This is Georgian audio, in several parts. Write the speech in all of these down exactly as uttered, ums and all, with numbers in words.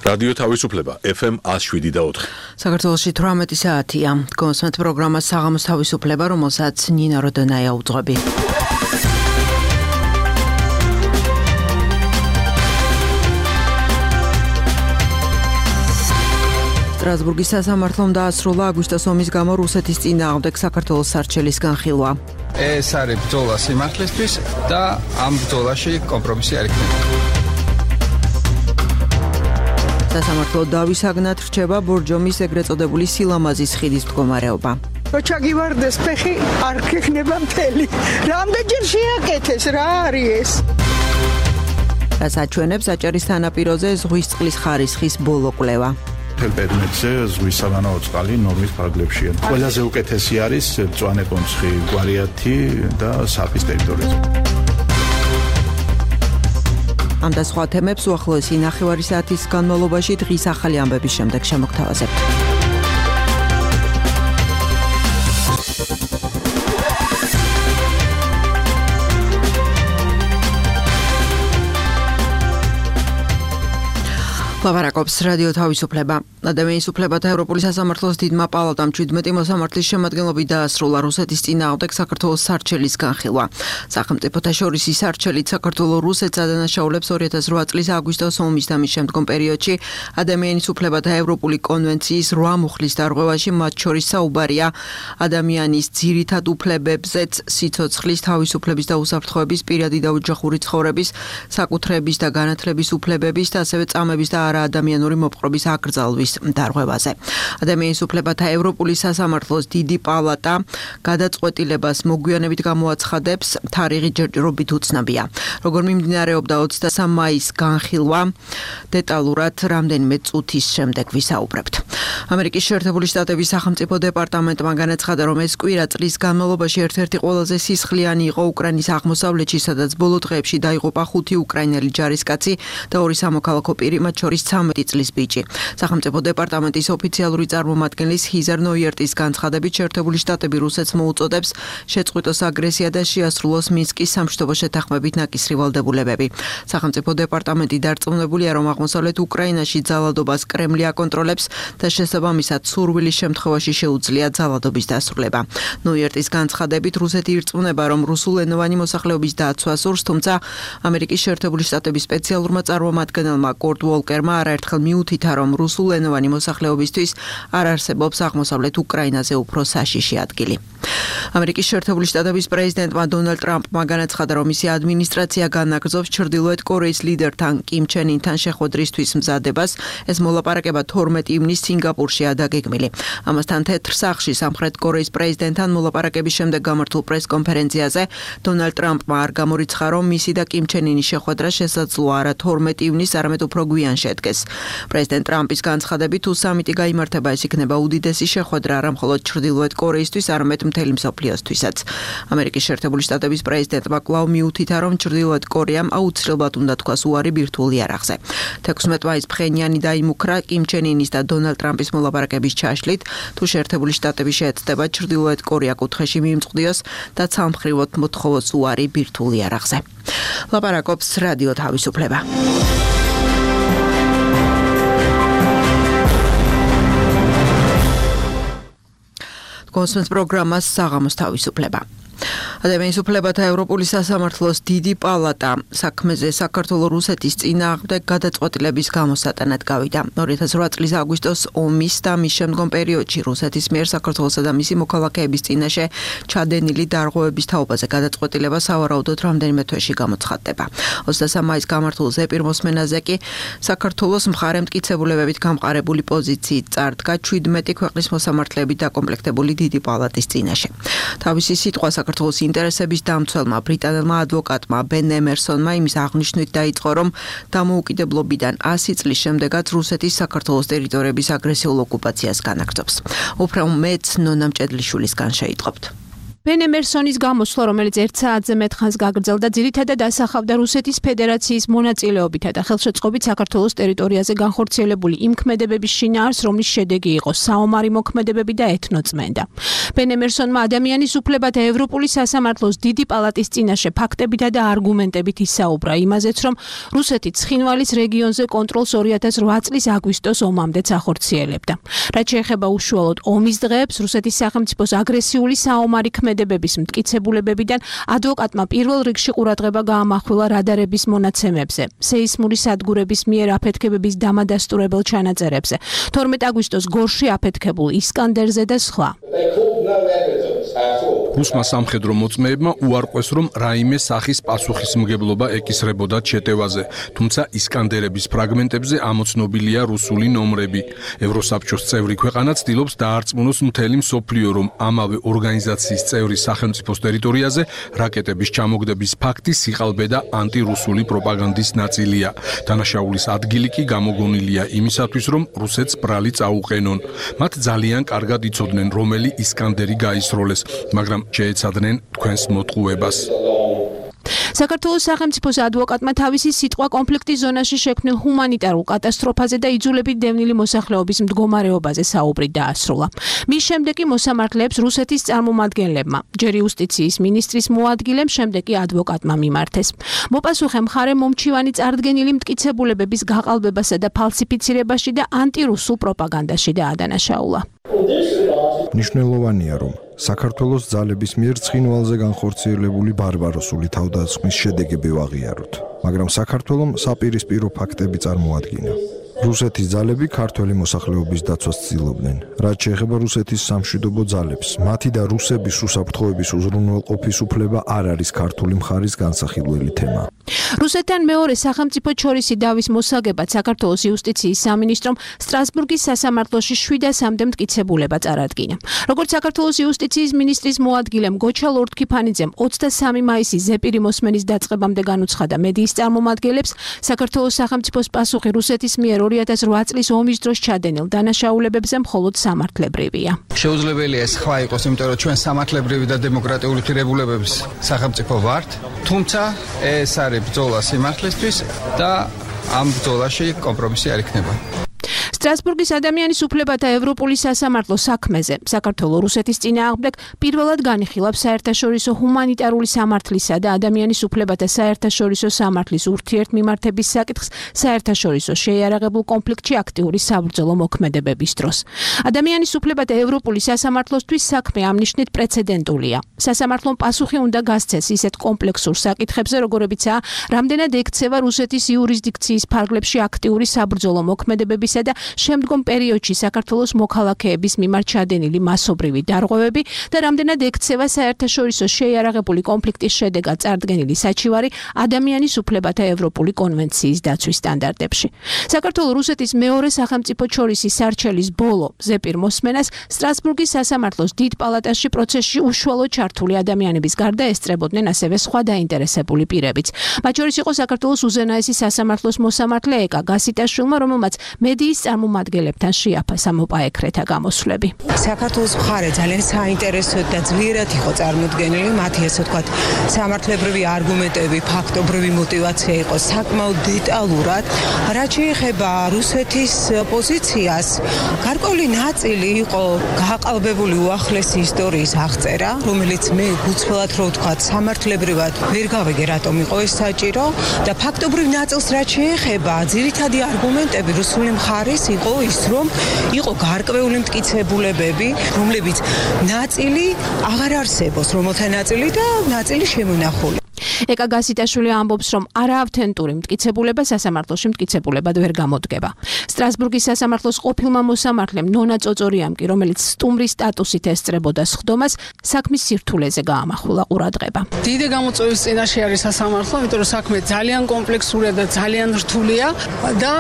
რადიო თავისუფლება ეფ ემ one oh seven და four. საქართველოში eighteen საათია. კონსმეთ პროგრამა საღამოს თავისუფლება, რომელსაც ნინა როდონაია უძღვები. სტრასბურგის სასამართლომ დაასრულა აგვისტოს ომის გამო რუსეთის წინააღმდეგ საქართველოს სარჩელის განხილვა. ეს არის ბრძოლა სიმართლისთვის და ამ ბრძოლაში კომპრომისი არ იქნება. სასამართლო დავისაგნად რჩება ბორჯომის ეგრეთ წოდებული სილამაზის ხიდის მდგომარეობა. როჩაგივარდეს ფეხი არ ქეხნება მთელი. რამდენჯერ შეაკეთეს, რა არის ეს? რაც აჩვენებს აჭარის თანაპიროზე ზღვის წყლის ხარისხის ბოლო კვლევა. მთელ პერიმეტრზე ზღვის სავანაო წყალი ნორმის ფარგლებშია. ყველაზე უკეთესი არის მწვანე კონცხი, გვარიათი და საფის ტერიტორიაზე. ამ და სხვა თემებს უახლოესი ნახევარი საათის განმავლობაში დღის ახალი ამბების შემდეგ შემოგთავაზებთ. ლაპარაკობს რადიო თავისუფლება. ადამიანის უფლებათა ევროპული სასამართლოს დიდმა პალატამ seventeen მოსამართლის შემადგენლობით დაასრულა რუსეთის წინააღმდეგ საქართველოს სარჩელის განხილვა. სახელმწიფოთა შორის ის სარჩელით საქართველოს რუსეთს ადანაშაულებს two thousand eight წლის აგვისტოს ომის და მის შემდგომ პერიოდში ადამიანის უფლებათა ევროპული კონვენციის eight მუხლის დარღვევაში, მათ შორის საუბარია ადამიანის ძირითად უფლებებზეც, სიცოცხლის, თავისუფლების და უსაფრთხოების, პირადი და ოჯახური ცხოვრების, საკუთრების და განათლების უფლებების და ასევე წამების და არაადამიანური მოპყრობის აკრძალვის დარღვევაზე. ადამიანის უფლებათა ევროპული სასამართლოს დიდი პალატა გადაწყვეტილებას მოგვიანებით გამოაცხადებს, თარიღი ჯერჯერობით უცნობია. როგორ მიმდინარეობდა twenty-three მაის განხილვა, დეტალურად რამდენიმე წუთის შემდეგ ვისაუბრებთ. ამერიკის შეერთებული შტატების სახელმწიფო დეპარტამენტმა განაცხადა, რომ ეს კვირა წლის განმავლობაში ერთ-ერთი ყველაზე სისხლიანი იყო უკრაინის აღმოსავლეთში, სადაც ბოლო დღეებში დაიღუპა ხუთი უკრაინელი ჯარისკაცი და ორი სამოქალაქო პირი, მათ შორის thirteen წლის ბიჭი. სახელმწიფო დეპარტამენტის ოფიციალური წარმომადგენლის ჰიზარ ნოიერტის განცხადებით, შეერთებული შტატები რუსეთს მოუწოდებს შეწყვიტოს აგრესია და შეასრულოს მინსკის სამშვიდობო შეთანხმებით ნაკისრი ვალდებულებები. სახელმწიფო დეპარტამენტი დარწმუნებულია, რომ აღმოსავლეთ უკრაინაში ძალადობას კრემლი აკონტროლებს და შესაბამისად სურვილის შემთხვევაში შეუძლია ძალადობის დასრულება. ნოიერტის განცხადებით, რუსეთი ირწმუნება, რომ რუსულენოვანი მოსახლეობის დაცვა სურს, თუმცა ამერიკის შეერთებული შტატების სპეციალურმა წარმომადგენელმა კორტ უოლკერმა არაერთხელ მიუთითა, რომ რუსულენოვანი მოსახლეობისთვის არ არსებობს აღმოსავლეთ უკრაინაზე უფრო საშიში ადგილი. ამერიკის შეერთებული შტატების პრეზიდენტმა დონალდ ტრამპმა განაცხადა, რომ მისი ადმინისტრაცია განაგრძობს ჩრდილოეთ კორეის ლიდერთან კიმ ჩენ ინთან შეხვედრისთვის მზადებას. ეს მოლაპარაკება twenty ივნისს სინგაპურშია დაგეგმილი. ამასთან თეთრ სახლში სამხრეთ კორეის პრეზიდენტთან მოლაპარაკების შემდეგ გამართულ პრესკონფერენციაზე დონალდ ტრამპმა არ გამორიცხა, რომ მისი და კიმ ჩენ ინის შეხვედრა შესაძლოა არა twenty ივნისს, არამედ უფრო გვიან შედგეს. პრეზიდენტ ტრამპის განცხადებით, თუ სამიტი გაიმართება, ეს იქნება უდიდესი შეხვედრა არა მხოლოდ ჩრდილოეთ კორეისთვის, არამედ მთელი მსოფლიოსთვისაც. ამერიკის შეერთებული შტატების პრეზიდენტმა კვლავ მიუთითა, რომ ჩრდილოეთ კორეამ აუცილებლად უნდა თქვას უარი ბირთვულ იარაღზე. sixteen მაისს ფხენიანი დაიმუქრა კიმ ჩენ ინის და დონალდ ტრამპის მოლაპარაკების ჩაშლით, თუ შეერთებული შტატები შეეცდება ჩრდილოეთ კორეა კუთხეში მიიმწყდიოს და ცალმხრივად მოთხოვოს უარი ბირთვულ იარაღზე. ლაპარაკობს რადიო თავისუფლება. კონსმეთ პროგრამას საღამოს თავისუფლება. ადამიანის უფლებათა ევროპული სასამართლოს დიდი პალატა საქმეზე საქართველოს რუსეთის წინააღმდეგ გადაწყვეტილების გამოსატანად გავიდა. two thousand eight წლის აგვისტოს ომის და მის შემდგომ პერიოდში რუსეთის მიერ საქართველოსა და მისი მოქალაქეების წინაშე ჩადენილი დარღვევების თაობაზე გადაწყვეტილება სავარაუდოდ რამდენიმე თვეში გამოცხადდება. twenty-three მაისს გამართულ ზეპირ მოსმენაზე კი საქართველოს მხარე მტკიცებულებებით გამყარებული პოზიციით წარდგა seventeen ქვეყნის მოსამართლეებით დაკომპლექტებული დიდი პალატის წინაშე. თავისი სიტყვა საქართველოს ინტერესების დამცველმა ბრიტანელმა ადვოკატმა ბენ ემერსონმა იმის აღნიშვნით დაიწყო, რომ დამოუკიდებლობიდან one hundred წლის შემდეგაც რუსეთის საქართველოს ტერიტორიების აგრესიულ ოკუპაციას განაგრძობს. უფრო მეტს ნონა მჭედლიშვილისგან შეიტყობთ. ბენ ემერსონის გამოსვლა, რომელიც ერთ საათზე მეტ ხანს გაგრძელდა, ძირითადად ასახავდა რუსეთის ფედერაციის მონაწილეობითა და ხელშეწყობით საქართველოს ტერიტორიაზე განხორციელებული იმ ქმედებების შინაარსს, რომლის შედეგი იყო საომარი მოქმედებები და ეთნოწმენდა. ბენ ემერსონმა ადამიანის უფლებათა ევროპული სასამართლოს დიდი პალატის წინაშე ფაქტებითა და არგუმენტებით ისაუბრა იმაზეც, რომ რუსეთი ცხინვალის რეგიონზე კონტროლს ორი ათას ოთხ წლის აგვისტოს ომამდეც ახორციელებდა. რაც შეეხება უშუალოდ ომის დღეებს, რუსეთის სახელმწიფოს აგრესიული საომარი ქმედებების მტკიცებულებებიდან ადვოკატმა პირველ რიგში ყურადღება გაამახვილა რადარების მონაცემებზე, სეისმური სადგურების მიერ აფეთქებების დამადასტურებელ ჩანაწერებზე, თორმეტ აგვისტოს გორში აფეთქებულ ისკანდერზე და სხვა. რუსმა სამხედრო მოწმეებმა უარყვეს, რომ რაიმე სახის პასუხისმგებლობა ეკისრებოდათ შეტევაზე, თუმცა ისკანდერების ფრაგმენტებზე ამოცნობილია რუსული ნომრები. ევროსაბჭოს წევრი ქვეყანა ცდილობს დაარწმუნოს მთელი მსოფლიო, რომ ამავე ორგანიზაციის წევრი სახელმწიფოს ტერიტორიაზე რაკეტების ჩამოგდების ფაქტი სიყალბე და ანტირუსული პროპაგანდის ნაწილია. დანაშაულის ადგილი კი გამოგონილია იმისათვის, რომ რუსეთს ბრალი წაუყენონ. მათ ძალიან კარგად იცოდნენ, რომელი ისკანდერი გაისროლეს, მაგრამ შეეცადნენ თქვენს მოტყუებას. საქართველოს სახელმწიფოს ადვოკატმა თავისი სიტყვა კონფლიქტის ზონაში შექმნილ ჰუმანიტარულ კატასტროფაზე და იძულებით დევნილი მოსახლეობის მდგომარეობაზე საუბრით დაასრულა. მის შემდეგ კი მოსამართლეებს რუსეთის წარმომადგენლებმა, ჯერ იუსტიციის მინისტრის მოადგილემ, შემდეგ კი ადვოკატმა მიმართეს. მოპასუხე მხარე მომჩივანი წარდგენილი მტკიცებულებების გაყალბებასა და ფალსიფიცირებაში და ანტირუსულ პროპაგანდაში დაადანაშაულა. მნიშვნელოვანია, რომ საქართველოს ძალების მიერ ცხინვალზე განხორციელებული ბარბაროსული თავდასხმის შედეგები ვაღიაროთ, მაგრამ საქართველომ საპირისპირო ფაქტები წარმოადგინა. რუსეთის ძალები ქართველი მოსახლეობის დაცვას ცდილობდნენ. რაც შეეხება რუსეთის სამშვიდობო ძალებს, მათი და რუსების უსაფრთხოების უზრუნველყოფის უფლება არ არის ქართული მხარის განსახილველი თემა. რუსეთთან მეორე სახელმწიფო შორისი დავის მოსაგებად საქართველოს იუსტიციის სამინისტრომ სტრასბურგის სასამართლოში შვიდას სამდე მტკიცებულება წარადგინა. როგორც საქართველოს იუსტიციის მინისტრის მოადგილემ გოჩა ლორთქიფანიძემ ოცდასამი მაისის ზეპირი მოსმენის დაწყებამდე განუცხადა მედიის წარმომადგენლებს, საქართველოს სახელმწიფოს პასუხი რუსეთის მიერ ორი ათას ოთხ წლის ომის დროს ჩადენილ დანაშაულებებზე მხოლოდ სამართლებრივია. შეუძლებელია ეს სხვა იყოს, იმიტომ რომ ჩვენ სამართლებრივი და დემოკრატიული ღირებულებების სახელმწიფო ვართ, თუმცა ეს არის ბრძოლა სიმართლისთვის და ამ ბრძოლაში კომპრომისი არ იქნება. სტრასბურგის ადამიანის უფლებათა ევროპული სასამართლო საქმეზე საქართველოს რუსეთის წინააღმდეგ პირველად განიხილავს საერთაშორისო ჰუმანიტარული სამართლისა და ადამიანის უფლებათა საერთაშორისო სამართლის ურთიერთმიმართების საკითხს საერთაშორისო შეიარაღებულ კონფლიქტში აქტიური საბრძოლო მოქმედებების დროს. ადამიანის უფლებათა ევროპული სასამართლოსთვის საქმე ამ ნიშნით პრეცედენტულია. სასამართლომ პასუხი უნდა გასცეს ისეთ კომპლექსურ საკითხებზე, როგორებიცაა რამდენად ექცევა რუსეთის იურისდიქციის ფარგლებში აქტიური საბრძოლო მოქმედებებისა და შემდგომ პერიოდში საქართველოს მოქალაქეების მიმართ ჩადენილი მასობრივი დარღვევები და რამდენად ექცევა საერთაშორისო შეიარაღებული კონფლიქტის შედეგად წარდგენილი საჩივარი ადამიანის უფლებათა ევროპული კონვენციის დაცვის სტანდარტებში. საქართველოს რუსეთის მეორე სახელმწიფო შორისი სარჩელის ბოლო ზეპირ მოსმენას სტრასბურგის სასამართლოს დიდ პალატაში პროცესში უშუალოდ ჩართული ადამიანების გარდა ესწრებოდნენ ასევე სხვა დაინტერესებული პირებიც. მათ შორის იყო საქართველოს უზენაესი სასამართლოს მოსამართლე ეკა გასიტაშვილმა, რომელმაც მედიის წარმომადგენლებთან შეაფასა მოპაექრეთა გამოსვლები. საქართველოს მხარე ძალიან საინტერესო და ძლიერად იყო წარმოდგენილი, მათი ესე ვთქვათ, სამართლებრივი არგუმენტები, ფაქტობრივი мотиваცია იყო საკმაოდ დეტალურად. რაც შეეხება რუსეთის პოზიციას, გარკვეული ნაწილი იყო გაყალბებული უახლესი ისტორიის აღწერა, რომელიც მე გულწრფელად რო ვთქვათ, სამართლებრივად ვერ გავიგე რატომ იყო ეს საჭირო და ფაქტობრივ ნაწილს რაც შეეხება, ძირითადი არგუმენტები რუსული მხარის იყო ის, რომ იყო გარკვეული მტკიცებულებები, რომლებიც ნაწილი აღარ არსებობს, რომელთა ნაწილი და ნაწილი შემონახული. ეკა გასიტაშვილი ამბობს, რომ არაავთენტური მტკიცებულება სასამართლოში მტკიცებულებად ვერ გამოდგება. სტრასბურგის სასამართლოს ყოფილმა მოსამართლემ ნონა წოწორიამ კი, რომელიც სტუმრის სტატუსით ესწრებოდა სხდომას, საქმის სირთულეზე გაამახვილა ყურადღება. დიდი გამოწვევის წინაშე არის სასამართლო, იმიტომ რომ საქმე ძალიან კომპლექსურია და ძალიან რთულია და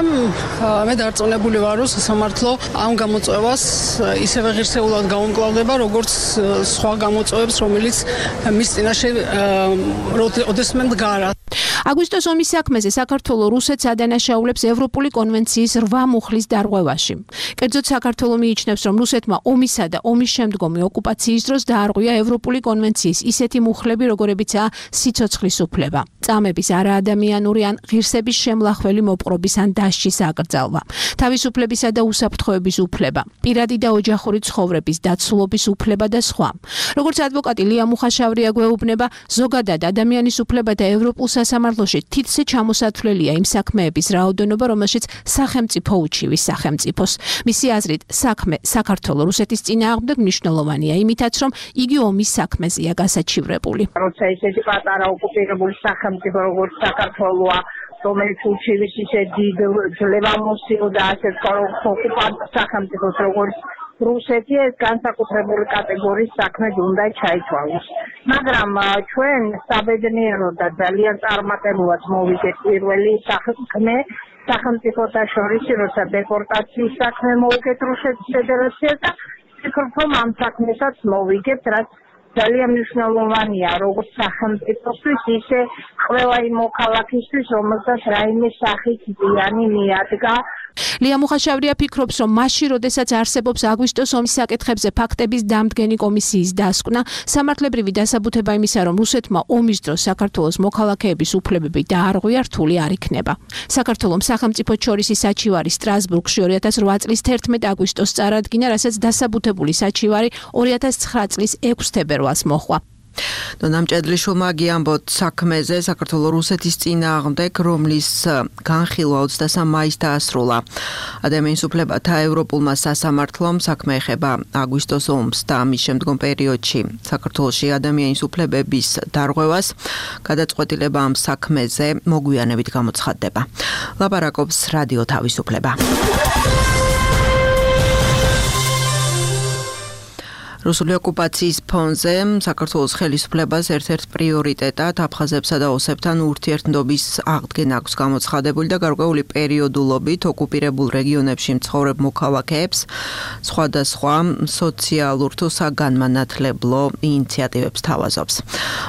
მე დარწმუნებული ვარ, რომ სასამართლო ამ გამოწვევას ისევე ღირსეულად გაუმკლავდება, როგორც სხვა გამოწვევებს, რომელიც მის წინაშე ოდესმე მდგარა. აგვისტოს ომის საქმეზე საქართველოს რუსეთს ადანაშაულებს ევროპული კონვენციის რვა მუხლის დარღვევაში. კერძოდ საქართველოს მიიჩნევს, რომ რუსეთმა ომისა და ომის შემდგომი ოკუპაციის დროს დაარღვია ევროპული კონვენციის ისეთი მუხლები, როგორებიცაა სიცოცხლის უფლება, წამების არაადამიანური ან ღირსების შემლახველი მოპყრობის ან დასჯის აკრძალვა, თავისუფლებისა და უსაფრთხოების უფლება, პირადი და ოჯახური ცხოვრების დაცულობის უფლება და სხვა. როგორც ადვოკატი ლია მუხაშავრია გვეუბნება, ზოგადად ადამიანის უფლება და ევროპულ სასამართლოში თითზე ჩამოსათვლელია იმ საქმეების რაოდენობა, რომელშიც სახელმწიფო უჩივის სახელმწიფოს. მისი აზრით, საქმე საქართველოს რუსეთის წინააღმდეგ მნიშვნელოვანია, იმითაც რომ იგი ომის საქმეზეა გასაჩივრებული. როცა ისეთი პატარა ოკუპირებული სახელმწიფო როგორც საქართველოა, რომელიც უჩივის ისე დიდ ძლევამოსილ და ასეთ ოკუპანტ სახელმწიფოს როგორც რუსეთი, ეს განსაკუთრებული კატეგორიის საქმე უნდა ჩაითვალოს. მაგრამ ჩვენ საბედნიეროდ და ძალიან წარმატებულად მოვიგეთ პირველი საქმე სახელმწიფოთა შორის, როცა დეპორტაციის საქმე მოვიგეთ რუსეთის ფედერაციას და ვფიქრობ, რომ ამ საქმესაც მოვიგებთ, რაც ძალიან მნიშვნელოვანია როგორც სახელმწიფოსთვის, ისე ყველა იმ მოქალაქისთვის, რომელსაც რაიმე სახით ზიანი მიადგა. ლია მუხაშავრია ფიქრობს, რომ მაშინ, როდესაც არსებობს აგვისტოს ომის საკითხებზე ფაქტების დამდგენი კომისიის დასკვნა, სამართლებრივი დასაბუთება იმისა, რომ რუსეთმა ომის დროს საქართველოს მოქალაქეების უფლებები დაარღვია, რთული არ იქნება. საქართველოს სახელმწიფო შორისი საჩივარი სტრასბურგში ორი ათას რვა წლის თერთმეტ აგვისტოს წარადგინა, რასაც დასაბუთებული საჩივარი ორი ათას ცხრა წლის ექვს თებერვალს მოჰყვა. ნამჭედლიშვილმა გიამბოთ საქმეზე საქართველოს რუსეთის წინააღმდეგ, რომლის განხილვა ოცდასამ მაისს დაასრულა. ადამიანის უფლებათა ევროპულმა სასამართლომ საქმე ეხება აგვისტოს ომს და ამის შემდგომ პერიოდში საქართველოში ადამიანის უფლებების დარღვევას. გადაწყვეტილება ამ საქმეზე მოგვიანებით გამოცხადდება. ლაპარაკობს რადიო თავისუფლება. რუსული ოკუპაციის ფონზე საქართველოს ხელისუფლებას ერთ-ერთ პრიორიტეტად აფხაზებსა და ოსებთან ურთიერთობის აღდგენა აქვს გამოცხადებული და გარკვეული პერიოდულობით ოკუპირებულ რეგიონებში მცხოვრებ მოქალაქეებს სხვადასხვა სოციალურ თუ საგანმანათლებლო ინიციატივებს თავაზობს.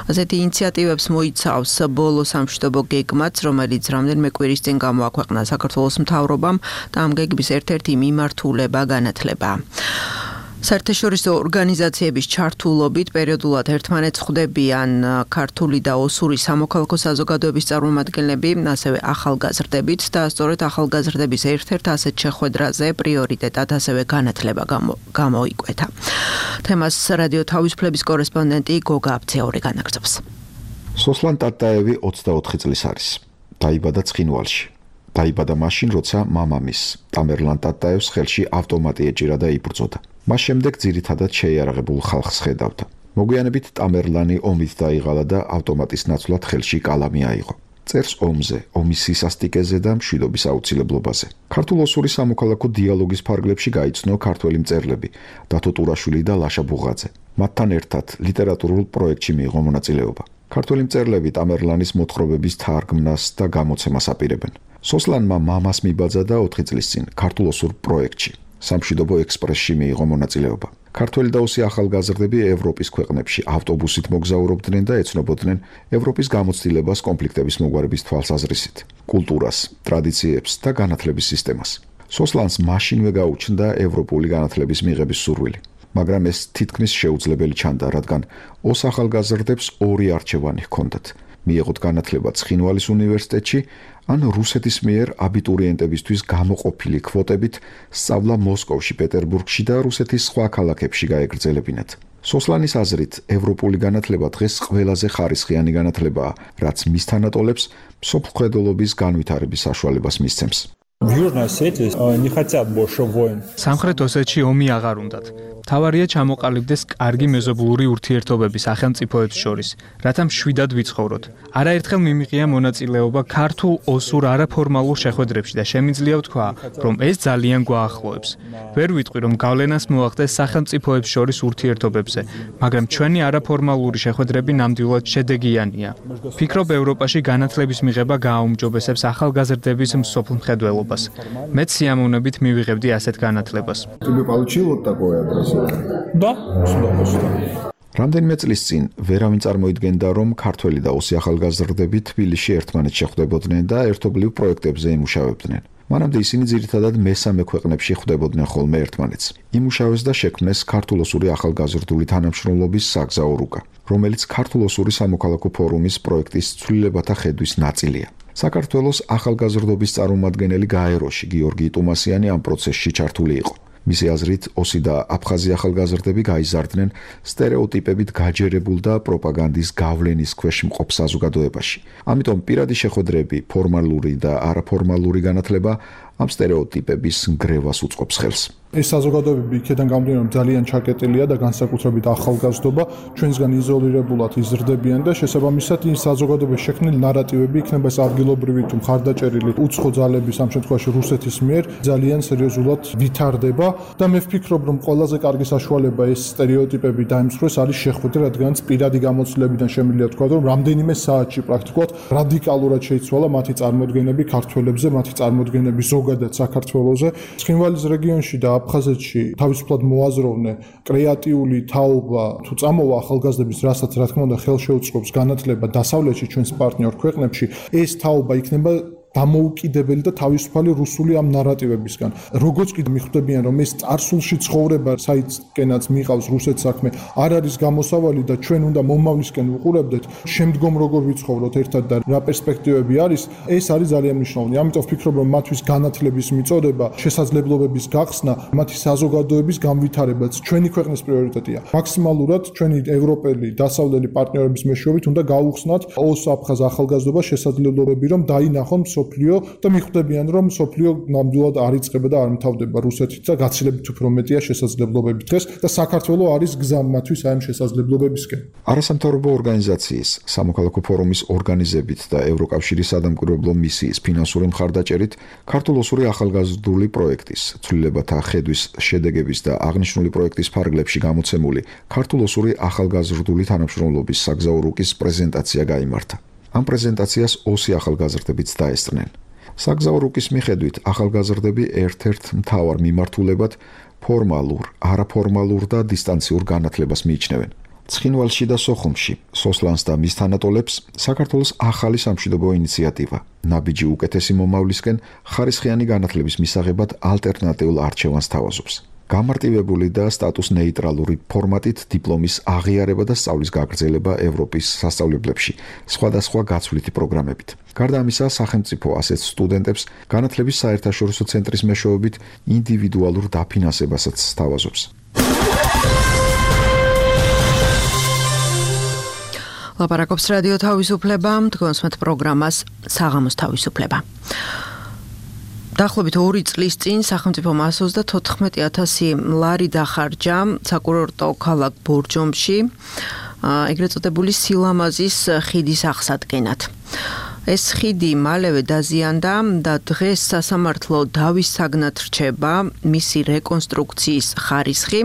ასეთი ინიციატივებს მოიცავს ბოლო სამშვიდობო გეგმაც, რომელიც რამდენიმე კვირის წინ გამოაქვეყნა საქართველოს მთავრობამ და ამ გეგმის ერთ-ერთი მიმართულება განათლებაა. საერთაშორისო ორგანიზაციების ჩართულობით პერიოდულად ერთმანეთს ხვდებიან ქართული და ოსური სამოქალაქო საზოგადოების წარმომადგენლები, ასევე ახალგაზრდებით და სწორედ ახალგაზრდების ერთ-ერთ ასეთ შეხვედრაზე პრიორიტეტად ასევე განათლება გამოიკვეთა. თემას რადიო თავისუფლების კორესპონდენტი გოგა აბცეური განაგრძობს. სოსლან ტატაევი ოცდაოთხი წლის არის. დაიბადა ცხინვალში. დაიბადა მაშინ, როცა მამამის ტამერლან ტატაევს ხელში ავტომატი ეჭირა და იბრძოდა. მას შემდეგ ძირითადად შეიარაღებულ ხალხს ხედავდა. მოგვიანებით ტამერლანი ომით დაიღალა და ავტომატის ნაცვლად ხელში კალამი აიღო. წერს ომზე, ომის სისასტიკეზე და მშვიდობის აუცილებლობაზე. ქართულ-ოსური სამოქალაქო დიალოგის ფარგლებში გაიცნო ქართველი მწერლები დათო ტურაშვილი და ლაშა ბუღაძე. მათთან ერთად ლიტერატურულ პროექტში მიიღო მონაწილეობა. ქართველი მწერლები ტამერლანის მოთხრობების თარგმნას და გამოცემას აპირებენ. სოსლანმა მამას მიბაძა და ოთხი წლის წინ ქართულ-ოსურ პროექტში სამშვიდობო ექსპრესში მიიღო მონაწილეობა. ქართველი და ოსი ახალგაზრდები ევროპის ქვეყნებში ავტობუსით მოგზაურობდნენ და ეცნობოდნენ ევროპის გამოცდილებას კონფლიქტების მოგვარების თვალსაზრისით, კულტურას, ტრადიციებს და განათლების სისტემას. სოსლანს მაშინვე გაუჩნდა ევროპული განათლების მიღების სურვილი, მაგრამ ეს თითქმის შეუძლებელი ჩანდა, რადგან ოს ახალგაზრდებს ორი არჩევანი ჰქონდათ: მიეღოთ განათლება ცხინვალის უნივერსიტეტში, ან რუსეთის მიერ აბიტურიენტებისთვის გამოყოფილი კვოტებით სწავლა მოსკოვში, პეტერბურგში და რუსეთის სხვა ქალაქებში გაეგრძელებინათ. სოსლანის აზრით, ევროპული განათლება დღეს ყველაზე ხარისხიანი განათლებაა, რაც მის თანატოლებს მსოფლმხედველობის განვითარების საშუალებას მისცემს. სამხრეთ ოსეთში ომი აღარ უნდათ. თავარია ჩამოყალიბდეს კარგი მეზობლური ურთიერთობები სახელმწიფოებს შორის, რათა მშვიდად ვიცხოვროთ. არაერთხელ მიმიღია მონაწილეობა ქართულ ოსურ არაფორმალურ შეხვედრებში და შემიძლია ვთქვა, რომ ეს ძალიან გვაახლოებს. ვერ ვიტყვი, რომ გავლენას მოახდენს სახელმწიფოებს შორის ურთიერთობებზე, მაგრამ ჩვენი არაფორმალური შეხვედრები ნამდვილად შედეგიანია. ფიქრობ, ევროპაში განათლების მიღება გააუმჯობესებს ახალგაზრდების მსოფლმხედველობას. მეც სიამოვნებით მივიღებდი ასეთ განათლებას. Тебе получилось такое образование? Да, с удовольствием. რამდენიმე წლის წინ ვერავინ წარმოიდგენდა, რომ ქართველი და ოსი ახალგაზრდები თბილისში ერთმანეთს შეხვდებოდნენ და ერთობლივ პროექტებზე იმუშავებდნენ. მანამდე ისინი ძირითადად მესამე ქვეყნებში ხვდებოდნენ ხოლმე ერთმანეთს. იმუშავეს და შექმნეს ქართულ-ოსური ახალგაზრდული თანამშრომლობის საგზაო რუკა, რომელიც ქართულ-ოსური სამოქალაქო ფორუმის პროექტის ცვლილებათა ხედვის ნაწილია. საქართველოს ახალგაზრდობის წარმომადგენელი გაეროში გიორგი ტუმასიანი ამ პროცესში ჩართული იყო. მისი აზრით, ოსი და აფხაზი ახალგაზრდები გაიზარდნენ სტერეოტიპებით გაჯერებულ და პროპაგანდის გავლენის ქვეშ მყოფ საზოგადოებაში. ამიტომ პირადი შეხვედრები, ფორმალური და არაფორმალური განათლება ამ სტერეოტიპების ნგრევას უწყობს ხელს. ეს საზოგადოებები იქიდან გამომდინარე, რომ ძალიან ჩაკეტილია და განსაკუთრებით ახალგაზრდობა ჩვენსგან იზოლირებულად იზრდებიან და შესაბამისად ის საზოგადოების შექმნილი ნარატივები იქნება ეს ადგილობრივი თუ მხარდაჭერილი უცხო ძალების ამ შემთხვევაში რუსეთის მიერ ძალიან სერიოზულად ვითარდება და მე ვფიქრობ, რომ ყველაზე კარგი საშუალება ეს სტერეოტიპები დაიმსხვრეს არის შეხვედრა, რადგანაც პირადი გამოცდილებიდან შემიძლია თქვა, რომ რამდენიმე საათში პრაქტიკულად რადიკალურად შეიცვალა მათი წარმოდგენები ქართველებზე, მათი წარმოდგენები ზოგადად საქართველოზე. ცხინვალის რეგიონში და აფხაზეთში თავისუფლად მოაზროვნე კრეატიული თაობა თუ წამოვა ახალგაზრდების, რასაც რა თქმა უნდა ხელშეუწყობს განათლება დასავლეთში ჩვენს პარტნიორ ქვეყნებში, ეს თაობა იქნება დამოუკიდებელი და თავისუფალი რუსული ამ ნარატივებისგან. როგორც კიდე მიხვდებიან, რომ ეს წარსულში ცხოვრება, საიდანაც მიყავს რუსეთს საქმე, არ არის გამოსავალი და ჩვენ უნდა მომავლისკენ ვუყურებდეთ, შემდგომ როგორ ვიცხოვროთ ერთად და რა პერსპექტივები არის, ეს არის ძალიან მნიშვნელოვანი. ამიტომ ვფიქრობ, რომ მათთვის განათლების მიწოდება, შესაძლებლობების გახსნა, მათი საზოგადოების განვითარებაც ჩვენი ქვეყნის პრიორიტეტია. მაქსიმალურად ჩვენი ევროპელი დასავლელი პარტნიორების მეშვეობით უნდა გაუხსნათ ოს-აფხაზ ახალგაზრდობა შესაძლებლობები, რომ დაინახონ სოფლიო და მიხვდებიან, რომ სოფლიო ნამდვილად არ იწყება და არ მთავრდება რუსეთით და გაცილებით უფრო მეტია შესაძლებლობები დღეს და საქართველო არის გზა მათთვის აი ამ შესაძლებლობებისკენ. არასამთავრობო ორგანიზაციის სამოქალაქო ფორუმის ორგანიზებით და ევროკავშირის სადამკვირვებლო მისიის ფინანსური მხარდაჭერით ქართულ-ოსური ახალგაზრდული პროექტის ცვლილებათა ხედვის შედეგების და აღნიშნული პროექტის ფარგლებში გამოცემული ქართულ-ოსური ახალგაზრდული თანამშრომლობის საგზაო რუკის პრეზენტაცია გაიმართა. ამ პრეზენტაციას ოსი ახალგაზრდებიც დაესწრნენ. საგზაო რუკის მიხედვით ახალგაზრდები ერთ-ერთ მთავარ მიმართულებად ფორმალურ, არაფორმალურ და დისტანციურ განათლებას მიიჩნევენ. ცხინვალში და სოხუმში სოსლანს და მის თანატოლებს საქართველოს ახალი სამშვიდობო ინიციატივა ნაბიჯი უკეთესი მომავლისკენ ხარისხიანი განათლების მისაღებად ალტერნატიულ არჩევანს თავაზობს. გამარტივებული და სტატუს ნეიტრალური ფორმატით დიპლომის აღიარება და სწავლის გაგრძელება ევროპის სასწავლებლებში, სხვადასხვა გაცვლითი პროგრამებით. გარდა ამისა, სახელმწიფო ასეთ სტუდენტებს განათლების საერთაშორისო ცენტრის მეშვეობით ინდივიდუალურ დაფინანსებასაც სთავაზობს. ლაპარაკობს რადიო თავისუფლება, თქვენსმეთ პროგრამას საღამოს თავისუფლება. დაახლოებით ორი წლის წინ სახელმწიფომ εκατს ოცდათოთხმეტი ათასი ლარი დახარჯა საკურორტო ქალაქ ბორჯომში ეგრეთ წოდებული სილამაზის ხიდის აღსადგენად. ეს ხიდი მალევე დაზიანდა და დღეს სასამართლო დავის საგნად რჩება მისი რეკონსტრუქციის ხარისხი.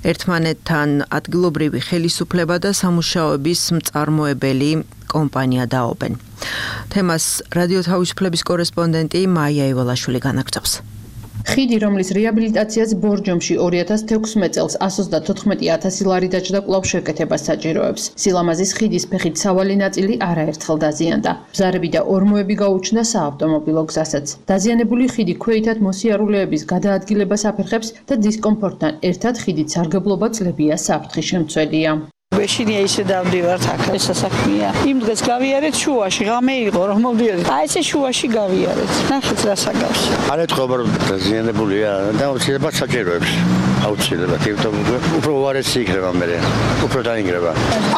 ერთმანეთთან ადგილობრივი ხელისუფლება და სამუშაოების მწარმოებელი კომპანია დაობენ. თემას რადიო თავისუფლების კორესპონდენტი მაია ივალაშვილი განაგრძობს. ხიდი, რომლის რეაბილიტაციას ბორჯომში ორი ათას თექვსმეტ წელს εκατს ოცდათოთხმეტი ათასი ლარი დაჭდა, კვლავ შეკეთებას საჭიროებს. სილამაზის ხიდის ფეხით სავალი ნაწილი არაერთხელ დაზიანდა. ბზარები და ორმოები გაუჩნდა საავტომობილო გზასაც. დაზიანებული ხიდი ქვეითად მოსიარულეების გადაადგილებას აფერხებს და დისკომფორტთან ერთად ხიდით სარგებლობა წლებია საფრთხის შემცველია. ბეშინია ისე დავდივართ აქ ეს საქმეა. იმ დღეს გავიარეთ შუაში, ღამე იყო რომ მოვდიოდი. აი ესე შუაში გავიარეთ. ნახეთ რა საგავს. არ ეთქობა რომ დაზიანებულია და უცილებლად საჭიროებს. აუცილებლად, იმიტომ უფრო უარესი იქნება მე. უფრო დაინგრება.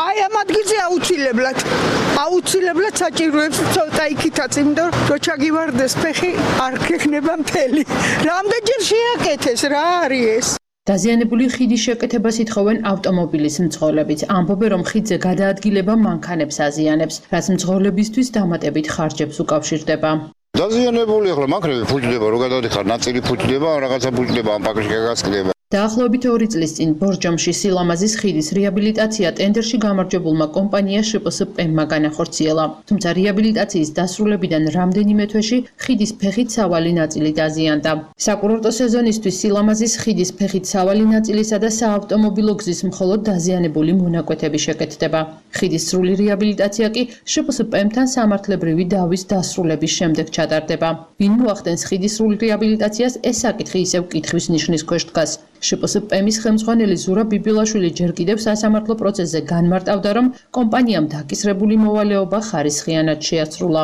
აი ამ ადგილზე აუცილებლად. აუცილებლად საჭიროებს ცოტა იქითაც, იმიტომ რომ ჩაგივარდეს ფეხი არ გექნება მთელი. რამდენჯერ შეაკეთეს რა არის ეს? დაზიანებული ხიდის შეკეთებას ითხოვენ ავტომობილის მძღოლებიც. ამბობენ, რომ ხიდზე გადაადგილება მანქანებს აზიანებს, რაც მძღოლებისთვის დამატებით ხარჯებს უკავშირდება. დაზიანებული ახლა მანქანები ფუჭდება, რო გადავდიხარ, ნაწილი ფუჭდება, რაღაცა ფუჭდება, ამ პაკში გასკდება. დაახლოებით ორი წლის წინ ბორჯომში სილამაზის ხიდის რეაბილიტაცია ტენდერში გამარჯვებულმა კომპანია შპსპ-მმა განახორციელა. თუმცა რეაბილიტაციის დასრულებიდან რამდენიმე თვეში ხიდის ფეხით სავალი ნაწილი დაზიანდა. საკურორტო სეზონისთვის სილამაზის ხიდის ფეხით სავალი ნაწილისა და საავტომობილო გზის მხოლოდ დაზიანებული მონაკვეთები შეკეთდება. ხიდის სრული რეაბილიტაცია კი შპსპ-მთან სამართლებრივი დავის დასრულების შემდეგ ჩატარდება. ვინ მოახდენს ხიდის სრულ რეაბილიტაციას, ეს საკითხი ისევ კითხვის ნიშნის ქვეშ დგას. შპსპ-მის ხელმძღვანელი ზურა ბიბილაშვილი ჯერ კიდევ სასამართლო პროცესზე განმარტავდა, რომ კომპანიამ დაკისრებული მოვალეობა ხარისხიანად შეასრულა.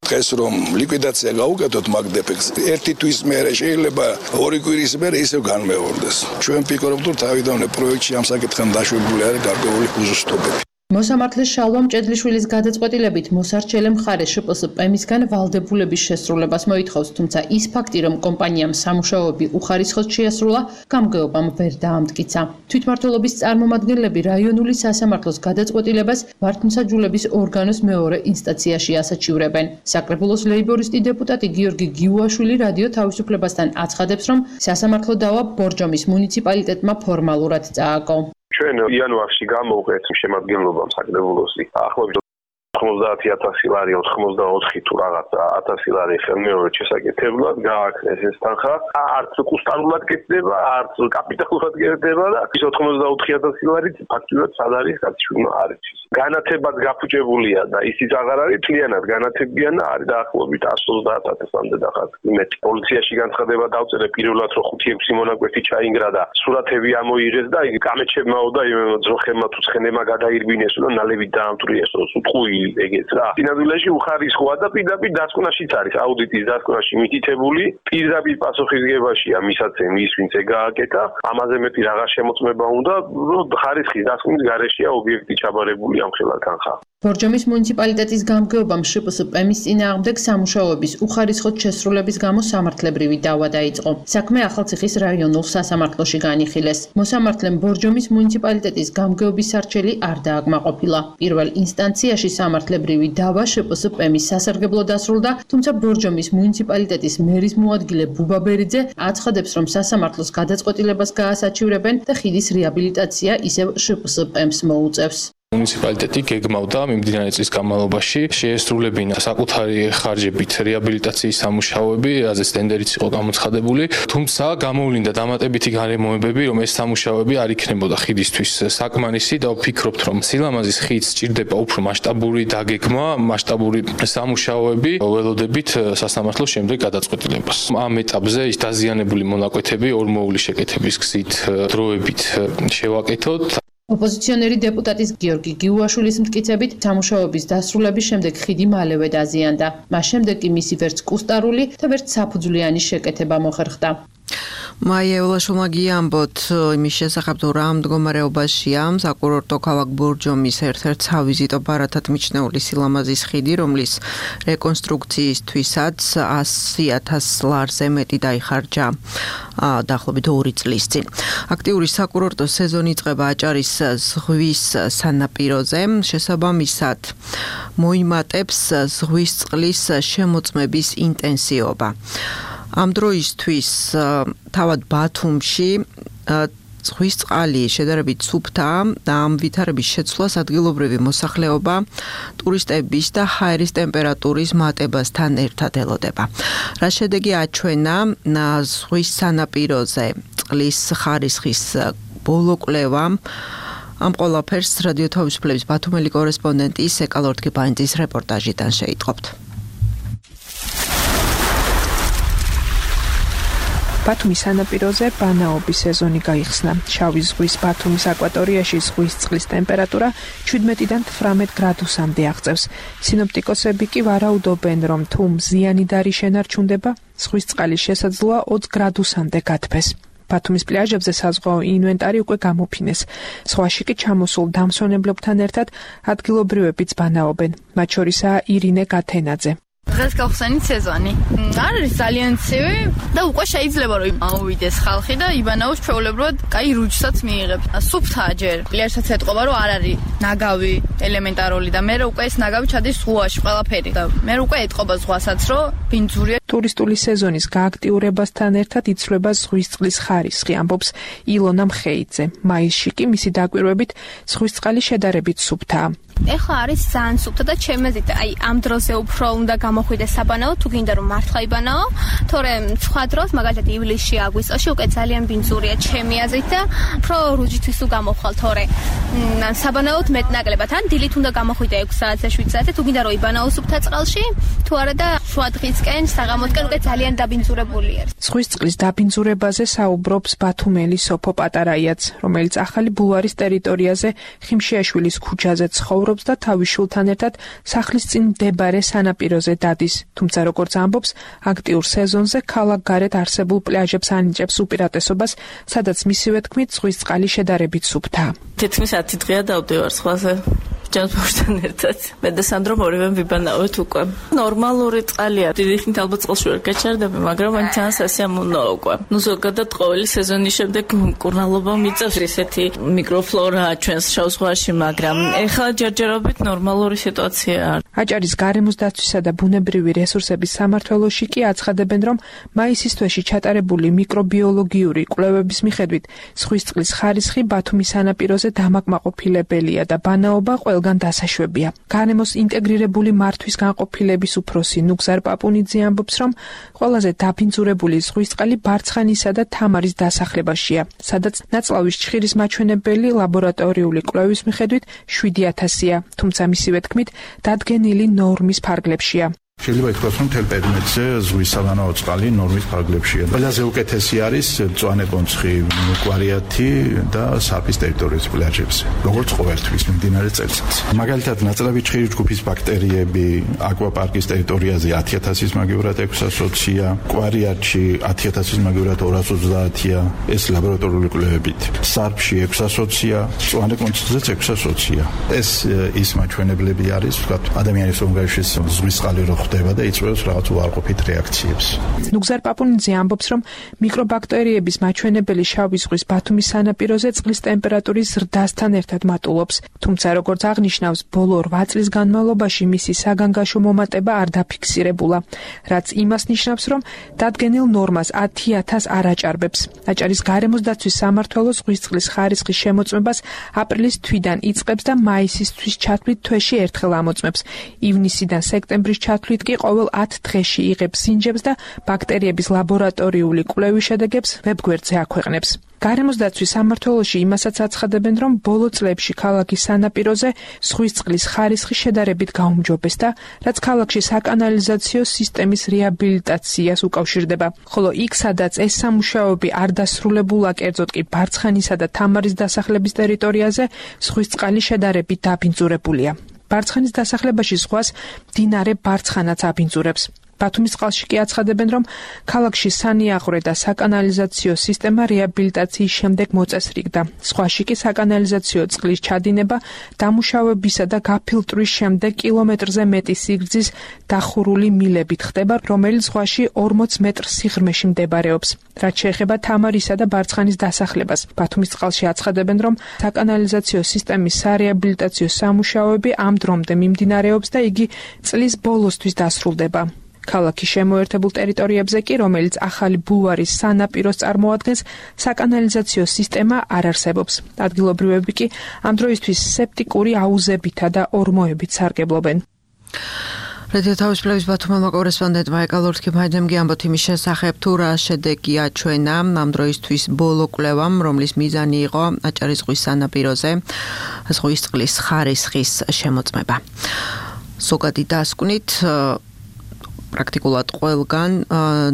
დღეს რომ ლიკვიდაცია გაუკეთოთ მაგდეფექტს, ერთი თვის მერე შეიძლება ორი კვირის მერე ისევ განმეორდეს. ჩვენ ვფიქრობთ, რომ თავიდანვე პროექტში ამ საკითხთან დაშვებული არის გარკვეული უზუსტობები. მოსამართლეს შალვა მჭედლიშვილის გადაწყვეტილებით მოსარჩელე მხარე შპსპ-მისგან ვალდებულების შესრულებას მოითხოვს, თუმცა ის ფაქტი, რომ კომპანიამ სამუშაოები უხარისხოდ შეასრულა, გამგეობამ ვერ დაამტკიცა. თვითმმართველობის წარმომადგენლები რაიონული სასამართლოს გადაწყვეტილებას ვართმსაჯულების ორგანოს მეორე ინსტანციაში ასაჩივრებენ. საკრებულოს ლეიბორისტი დეპუტატი გიორგი გიუაშვილი რადიო თავისუფლებასთან აცხადებს, რომ სასამართლო დავა ბორჯომის მუნიციპალიტეტმა ფორმალურად წააგო. ჩვენ იანვარში გამოვყეთ შემადგენლობამ საკრებულოსი ახლობით ოცდაათი ათასი ლარი ოთხმოცდაოთხი თუ რაღაცა ათასი ლარი ხელმეორედ შესაკეთებლად გააკეთეს ეს თანხა არც კუსტარულად კეთდება არც კაპიტალურად კეთდება და ის ოთხმოცდაოთხი ათასი ლარი ფაქტურად სად არის გაცვლა არის განათებად გაფუჭებულია და ისიც აღარ არის თლიანად განათებიან და არის დაახლოებით εκατს ოცდაათ ათასამდე დახაც იმედი პოლიციაში განცხადება დავწერე პირველად რომ ხუთი ექვსი მონაკვეთი ჩაინგრა და სურათები ამოიღეს და იგი კამეჩებმაო და იმ ძროხებმა თუ ცხენებმა გადაირბინეს და ნალევით დაამტვრიეს უწყუი ეგეც რა. სინამდვილეში უხარისხოა და პირდაპირ დასკვნაშიც არის აუდიტის დასკვნაში მითითებული, პირდაპირ პასუხისგებაშია მისაცემი ის ვინც ეგააკეთა, ამაზე მეტი რაღაც შემოწმება უნდა, რომ ხარისხის დასკვნის გარეშეა ობიექტი ჩაბარებული ამ ხელა თანხა. ბორჯომის მუნიციპალიტეტის გამგეობამ შპსპ-მის წინააღმდეგ სამუშაოების უხარისხოდ შესრულების გამო სამართლებრივი დავა დაიწყო. საქმე ახალციხის რაიონულ სასამართლოში განიხილეს. მოსამართლემ ბორჯომის მუნიციპალიტეტის გამგეობის სარჩელი არ დააკმაყოფილა. პირველ ინსტანციაში სამართლებრივი დავა შპსპ-მის სასარგებლო დასრულდა, თუმცა ბორჯომის მუნიციპალიტეტის მერის მოადგილე ბუბა ბერიძე აცხადებს, რომ სასამართლოს გადაწყვეტილებას გაასაჩივრებენ და ხიდის რეაბილიტაცია ისევ შპსპ-მს მოუწევს. მუნიციპალიტეტი გეგმავდა მიმდინარე წლის განმავლობაში შეესრულებინა საკუთარი ხარჯებით რეაბილიტაციის სამუშაოები, რაზეც ტენდერიც იყო გამოცხადებული, თუმცა გამოვლინდა დამატებითი გარემოებები, რომ ეს სამუშაოები არ იქნებოდა ხიდისთვის საკმარისი და ვფიქრობთ, რომ სილამაზის ხიდს სჭირდება უფრო მასშტაბური დაგეგმა, მასშტაბური სამუშაოები, ველოდებით სასამართლოს შემდეგ გადაწყვეტილებას. ამ ეტაპზე ის დაზიანებული მონაკვეთები ორმოული შეკეთების გზით დროებით შევაკეთოთ. ოპოზიციონერი დეპუტატის გიორგი გიუაშვილის მტკიცებით, სამუშაოების დასრულების შემდეგ ხიდი მალევე დაზიანდა. მას შემდეგ კი მისი ვერც კუსტარული და ვერც საფუძვლიანი შეკეთება მოხერხდა. მაია ულაშვილმა გიამბოთ იმის შესახებ, თუ რა მდგომარეობაშია საკურორტო ქალაქ ბორჯომის ერთ-ერთ სავიზიტო ბარათად მიჩნეული სილამაზის ხიდი, რომლის რეკონსტრუქციისთვისაც ასი ათას ლარზე მეტი დაიხარჯა დაახლოებით ორი წლის წინ. აქტიური საკურორტო სეზონი იწყება აჭარის ზღვის სანაპიროზე, შესაბამისად მოიმატებს ზღვის წყლის შემოწმების ინტენსივობა. ამ დროისთვის თავად ბათუმში ზღვის წყალი შედარებით სუფთაა და ამ ვითარების შეცვლას ადგილობრივი მოსახლეობა ტურისტების და ჰაერის ტემპერატურის მატებასთან ერთად ელოდება. რა შედეგი აჩვენა ზღვის სანაპიროზე წყლის ხარისხის ბოლო კვლევამ, ამ ყველაფერს რადიო თავისუფლების ბათუმელი კორესპონდენტი სეკა ლორთქიფანიძის რეპორტაჟიდან შეიტყობთ. ბათუმის სანაპიროზე ბანაობის სეზონი გაიხსნა. შავი ზღვის ბათუმის აკვატორიაში ზღვის წყლის ტემპერატურა ჩვიდმეტიდან თვრამეტ გრადუსამდე აღწევს. სინოპტიკოსები კი ვარაუდობენ, რომ თუ მზიანიდარი შენარჩუნდება, ზღვის წყალის შესაძლოა ოცი გრადუსამდე გათბეს. ბათუმის პლაჟებზე საზღვაო ინვენტარი უკვე გამოფინეს. ზღვაში კი ჩამოსულ დამსვენებლებთან ერთად ადგილობრივებიც ბანაობენ. მათ შორისაა ირინე გათენაძე. დღეს გავხსენით სეზონი. არ არის ძალიან ცივი და უკვე შეიძლება რომ აუვიდეს ხალხი და იბანაოს ჩვეულებრივად კაი რუჯსაც მიიღებს. სუფთაა ჯერ. პლაჟსაც ეთყობა რომ არ არის ნაგავი ელემენტარული და მე უკვე ეს ნაგავი ჩადის ზღვაში ყველაფერი და მე უკვე ეთყობა ზღვასაც რომ ბინძურია. ტურისტული სეზონის გააქტიურებასთან ერთად იცვლება ზღვის წყლის ხარისხი, ამბობს ილონა მხეიძე. მაისში კი მისი დაკვირვებით ზღვის წყალი შედარებით სუფთაა. ეხლა არის ძალიან სუფთა და ჩემი აზრით, აი ამ დროზე უფრო უნდა გამოხვიდეს საბანაო, თუ გინდა რომ მართლა იბანაო, თორემ სხვა დროს, მაგალითად ივლისში, აგვისტოში უკვე ძალიან ბინძურია ჩემი აზრით და უფრო რუჯისთვის თუ გამოვხვალ, თორე საბანაოდ მეტნაკლებად, ან დილით უნდა გამოხვიდე ექვსი საათზე, შვიდ საათზე, თუ გინდა რომ იბანაო სუფთა წყალში, თუ არა და შუა დღისკენ, საღამოსკენ უკვე ძალიან დაბინძურებული არის. ზღვის წყლის დაბინძურებაზე საუბრობს ბათუმელი სოფო პატარაიაც, რომელიც ახალი ბულვარის ტერიტორიაზე ხიმშიაშვილის ქუჩაზე ცხოვრობს და თავის შვილთან ერთად სახლის წინ მდებარე სანაპიროზე დადის. თუმცა როგორც ამბობს, აქტიურ სეზონზე ქალაქ გარეთ არსებულ პლაჟებს ანიჭებს უპირატესობას, სადაც მისივე თქმით ზღვის წყალი შედარებით სუფთაა. თითქმის ათი დღეა დავდივარ სხვაზე. ჯანსაღმოსთან ერთად. მე და სანდრო ორივე ვიბანავთ უკვე. ნორმალური წყალია. დიდი ხნით ალბათ წყალში ვერ გაჩერდები, მაგრამ მან ძალიან სასიამოვნოა უკვე. ნუ ზოგადად ყოველი სეზონის შემდეგ მკურნალობა მიწევს ისეთი მიკროფლორაა ჩვენს შავ ზღვაში, მაგრამ ეხლა ჯერჯერობით ნორმალური სიტუაციაა. აჭარის გარემოს დაცვისა და ბუნებრივი რესურსების სამმართველოში კი აცხადებენ, რომ მაისის თვეში ჩატარებული მიკრობიოლოგიური კვლევების მიხედვით ზღვის წყლის ხარისხი ბათუმის სანაპიროზე დამაკმაყოფილებელია და ბანაობა ყველგან დასაშვებია. გარემოს ინტეგრირებული მართვის განყოფილების უფროსი ნუგზარ პაპუნიძე ამბობს, რომ ყველაზე დაბინძურებული ზღვის წყალი ბარცხანისა და თამარის დასახლებაშია, სადაც ნაწლავის ჩხირის მაჩვენებელი ლაბორატორიული კვლევის მიხედვით შვიდი ათასია, თუმცა მისივე თქმით, დადგენილი ნორმის ფარგლებშია. შეიძლება ითქვას, რომ მთელ პერიმეტრზე ზღვის საბანაო წყალი ნორმის ფარგლებშია. ყველაზე უკეთესი არის მწვანე კონცხი, კვარიათი და საფის ტერიტორიის პლაჟებზე, როგორც ყოველთვის მიმდინარე წელიწადს. მაგალითად, ნაწლავი ჩხირის ჯგუფის ბაქტერიები აკვაპარკის ტერიტორიაზე ათი ათასის მაგივრად ექვსას ოცია, კვარიათში ათი ათასის მაგივრად ორას ოცდაათია, ეს ლაბორატორიული კვლევებით. სარფში ექვსას ოცია, მწვანე კონცხზეც ექვსას ოცია. ეს ის მაჩვენებლები არის, ვთქვათ, ადამიანის ორგანიზმში ზღვის წყალი რო ხდება და იწვევს რაღაც უარყოფით რეაქციებს. ნუგზარ პაპუნიძე ამბობს, რომ მიკრობაქტერიების მაჩვენებელი შავი ზღვის ბათუმის სანაპიროზე წყლის ტემპერატურის ზრდასთან ერთად მატულობს. თუმცა, როგორც აღნიშნავს, ბოლო რვა წლის განმავლობაში მისი საგანგაშო მომატება არ დაფიქსირებულა, რაც იმას ნიშნავს, რომ დადგენილ ნორმას ათი ათას არ აჭარბებს. აჭარის გარემოს დაცვის სამმართველო ზღვის წყლის ხარისხის შემოწმებას აპრილის თვიდან იწყებს და მაისის თვის ჩათვლით თვეში ერთხელ ამოწმებს. ივნისიდან სექტემბრის ჩათვლით კი ყოველ ათ დღეში იღებს სინჯებს და ბაქტერიების ლაბორატორიული კვლევის შედეგებს ვებგვერდზე აქვეყნებს. გარემოს დაცვის სამმართველოში იმასაც აცხადებენ, რომ ბოლო წლებში ქალაქის სანაპიროზე ზღვის წყლის ხარისხი შედარებით გაუმჯობესდა, რაც ქალაქში საკანალიზაციო სისტემის რეაბილიტაციას უკავშირდება. ხოლო იქ, სადაც ეს სამუშაოები არ დასრულებულა, კერძოდ კი ბარცხანისა და თამარის დასახლების ტერიტორიაზე ზღვის წყალი შედარებით დაბინძურებულია. ბარცხანის დასახლებაში ზღვას მდინარე ბარცხანაც აბინძურებს. ბათუმის წყალში კი აცხადებენ, რომ ქალაქში სანიაღვრე და საკანალიზაციო სისტემა რეაბილიტაციის შემდეგ მოწესრიგდა. ზღვაში კი საკანალიზაციო წყლის ჩადინება დამუშავებისა და გაფილტვრის შემდეგ კილომეტრზე მეტი სიგრძის დახურული მილებით ხდება, რომელიც ზღვაში ორმოც მეტრ სიღრმეში მდებარეობს. რაც შეეხება თამარისა და ბარცხანის დასახლებას, ბათუმის წყალში აცხადებენ, რომ საკანალიზაციო სისტემის სარეაბილიტაციო სამუშაოები ამ დრომდე მიმდინარეობს და იგი წლის ბოლოსთვის დასრულდება. ქალაქის შემოერთებულ ტერიტორიებზე კი, რომელიც ახალი ბულვარის სანაპიროს წარმოადგენს, საკანალიზაციო სისტემა არ არსებობს. ადგილობრივები კი ამ დროისთვის სეპტიკური აუზებითა და ორმოებით სარგებლობენ. რადიო თავისუფლების ბათუმელმა კორესპონდენტმა ეკალორთქიმ ამბობთ იმის შესახებ, თუ რა შედეგი აჩვენა ამ დროისთვის ბოლო კვლევამ, რომლის მიზანი იყო აჭარის ზღვის სანაპიროზე ზღვის წყლის ხარისხის შემოწმება. ზოგადი დასკვნით პრაქტიკულად ყველგან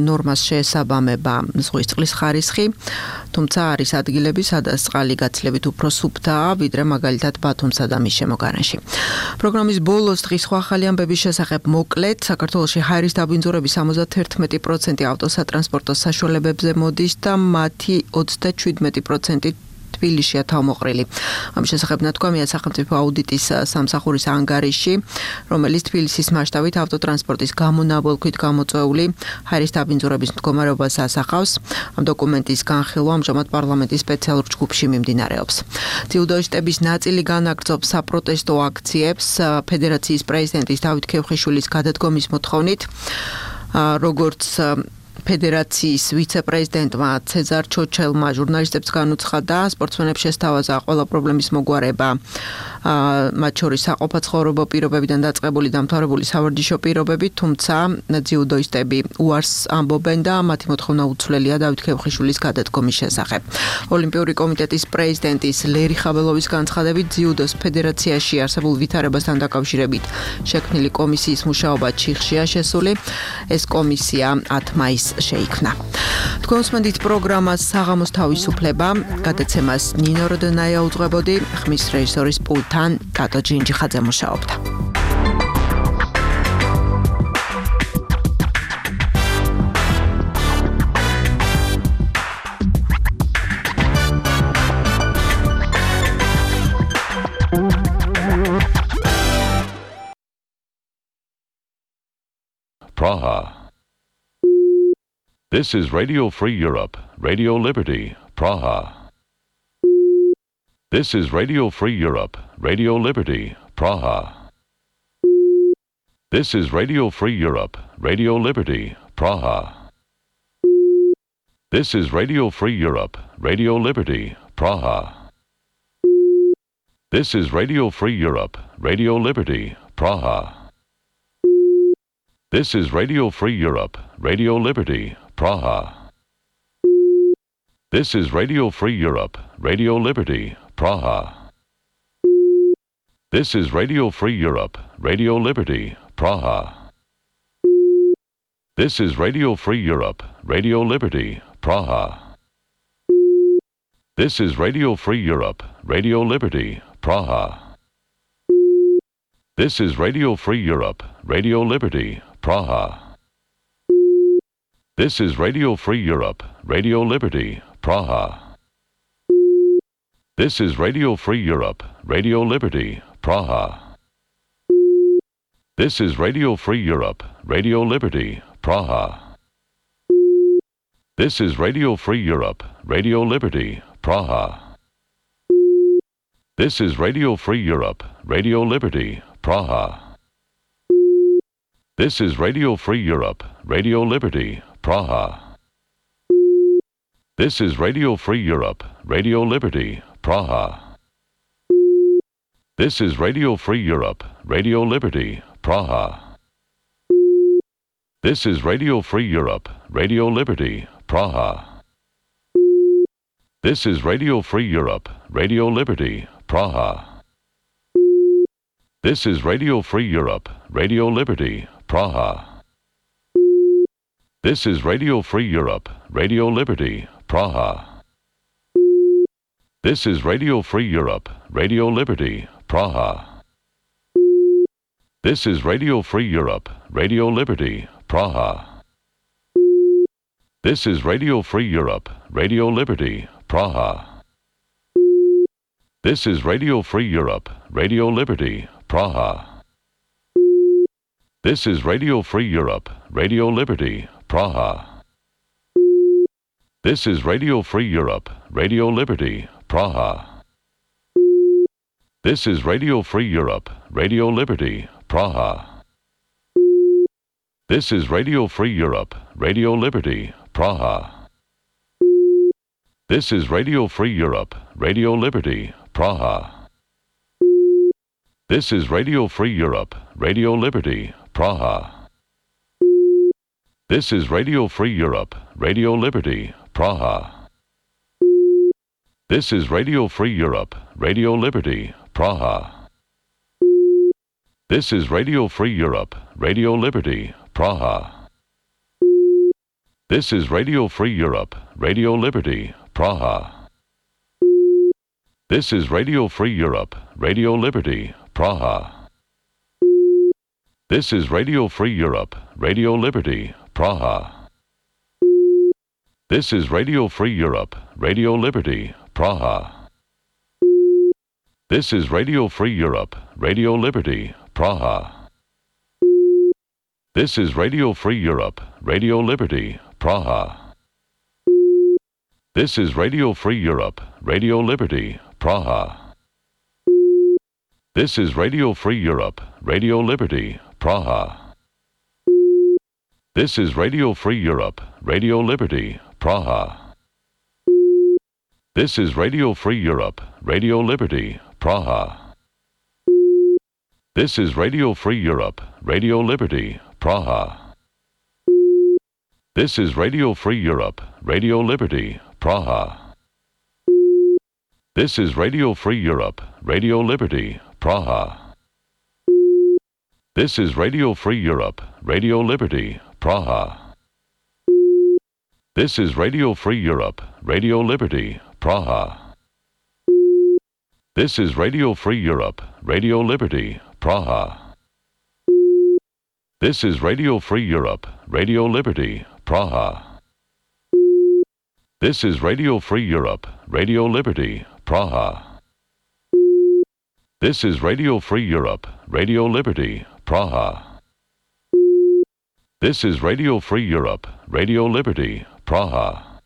ნორმას შეესაბამება ზღვის წყლის ხარისხი, თუმცა არის ადგილები, სადაც წყალი გაცილებით უფრო სუფთაა, ვიდრე მაგალითად ბათუმსა და მის შემოგარენში. პროგრამის ბოლოს დღის სხვა ახალი ამბების შესახებ მოკლედ, საქართველოში ჰაერის დაბინძურების სამოცდაერთმეტი პროცენტი ავტოსატრანსპორტო საშუალებებზე მოდის და მათი ოცდაჩვიდმეტი პროცენტი თბილისშია თავმოყრილი. ამის შესახებ ნათქვამია სახელმწიფო აუდიტის სამსახურის ანგარიში, რომელიც თბილისის მასშტაბით ავტოტრანსპორტის გამონაბოლქვით გამოწვეული ჰაერის დაბინძურების მდგომარეობას ასახავს. ამ დოკუმენტის განხილვა ამჟამად პარლამენტის სპეციალურ ჯგუფში მიმდინარეობს. ძიუდოისტების ნაწილი განაგრძობს საპროტესტო აქციებს ფედერაციის პრეზიდენტის დავით ქევხიშვილის გადადგომის მოთხოვნით. როგორც ფედერაციის ვიცე-პრეზიდენტმა ცეზარ ჩოჩელმა ჟურნალისტებს განუცხადა, სპორტსმენებს შესთავაზა ყველა პრობლემის მოგვარება, მათ შორის საყოფაცხოვრებო პირობებიდან დაწყებული დამთავრებული სავარჯიშო პირობები, თუმცა ძიუდოისტები უარს ამბობენ და მათი მოთხოვნა უცვლელია დავით ქევხიშვილის გადადგომის შესახებ. ოლიმპიური კომიტეტის პრეზიდენტის ლერი ხაბელოვის განცხადებით, ძიუდოს ფედერაციაში არსებულ ვითარებასთან დაკავშირებით შექმნილი კომისიის მუშაობა ჩიხშია შესული. ეს კომისია ათ მაისს შეიქმნა. თქვენ უსმენთ პროგრამას საღამოს თავისუფლება, გადაცემას ნინო როდონაია უძღვებოდი, ხმის რეჟისორის პულტთან კატო ჯინჯიხაძე მუშაობდა. Praha. This is Radio Free Europe, Radio Liberty, Praha. This is Radio Free Europe, Radio Liberty, Praha. This is Radio Free Europe, Radio Liberty, Praha. This is Radio Free Europe, Radio Liberty, Praha. This is Radio Free Europe, Radio Liberty, Praha. This is Radio Free Europe, Radio Liberty, Praha. This is Radio Free Europe, Radio Liberty, Praha. This is Radio Free Europe, Radio Liberty, Praha. This is Radio Free Europe, Radio Liberty, Praha. This is Radio Free Europe, Radio Liberty, Praha. This is Radio Free Europe, Radio Liberty, Praha. This is Radio Free Europe, Radio Liberty, Praha. This is Radio Free Europe, Radio Liberty, Praha. This is Radio Free Europe, Radio Liberty, Praha. This is Radio Free Europe, Radio Liberty, Praha. This is Radio Free Europe, Radio Liberty, Praha. This is Radio Free Europe, Radio Liberty, Praha. This is Radio Free Europe, Radio Liberty, Praha. This is Radio Free Europe, Radio Liberty, Praha. This is Radio Free Europe, Radio Liberty, Praha. This is Radio Free Europe, Radio Liberty, Praha. This is Radio Free Europe, Radio Liberty, Praha. This is Radio Free Europe, Radio Liberty, Praha. This is Radio Free Europe, Radio Liberty, Praha. This is Radio Free Europe, Radio Liberty, Praha. This is Radio Free Europe, Radio Liberty, Praha. This is Radio Free Europe, Radio Liberty, Praha. This is Radio Free Europe, Radio Liberty, Praha. This is Radio Free Europe, Radio Liberty, Praha. This is Radio Free Europe, Radio Liberty, Praha. This is Radio Free Europe, Radio Liberty, Praha. This is Radio Free Europe, Radio Liberty, Praha. This is Radio Free Europe, Radio Liberty, Praha. This is Radio Free Europe, Radio Liberty, Praha. This is Radio Free Europe, Radio Liberty, Praha. This is Radio Free Europe, Radio Liberty, Praha. This is Radio Free Europe, Radio Liberty, Praha. This is Radio Free Europe, Radio Liberty, Praha. This is Radio Free Europe, Radio Liberty, Praha. This is Radio Free Europe, Radio Liberty, Praha. This is Radio Free Europe, Radio Liberty, Praha. This is Radio Free Europe, Radio Liberty, Praha. This is Radio Free Europe, Radio Liberty, Praha. This is Radio Free Europe, Radio Liberty, Praha. This is Radio Free Europe, Radio Liberty, Praha. This is Radio Free Europe, Radio Liberty, Praha. This is Radio Free Europe, Radio Liberty, Praha. This is Radio Free Europe, Radio Liberty, Praha. This is Radio Free Europe, Radio Liberty, Praha. This is Radio Free Europe, Radio Liberty, Praha. This is Radio Free Europe, Radio Liberty, Praha. This is Radio Free Europe, Radio Liberty, Praha. This is Radio Free Europe, Radio Liberty, Praha. This is Radio Free Europe, Radio Liberty, Praha. This is Radio Free Europe, Radio Liberty, Praha. This is Radio Free Europe, Radio Liberty, Praha.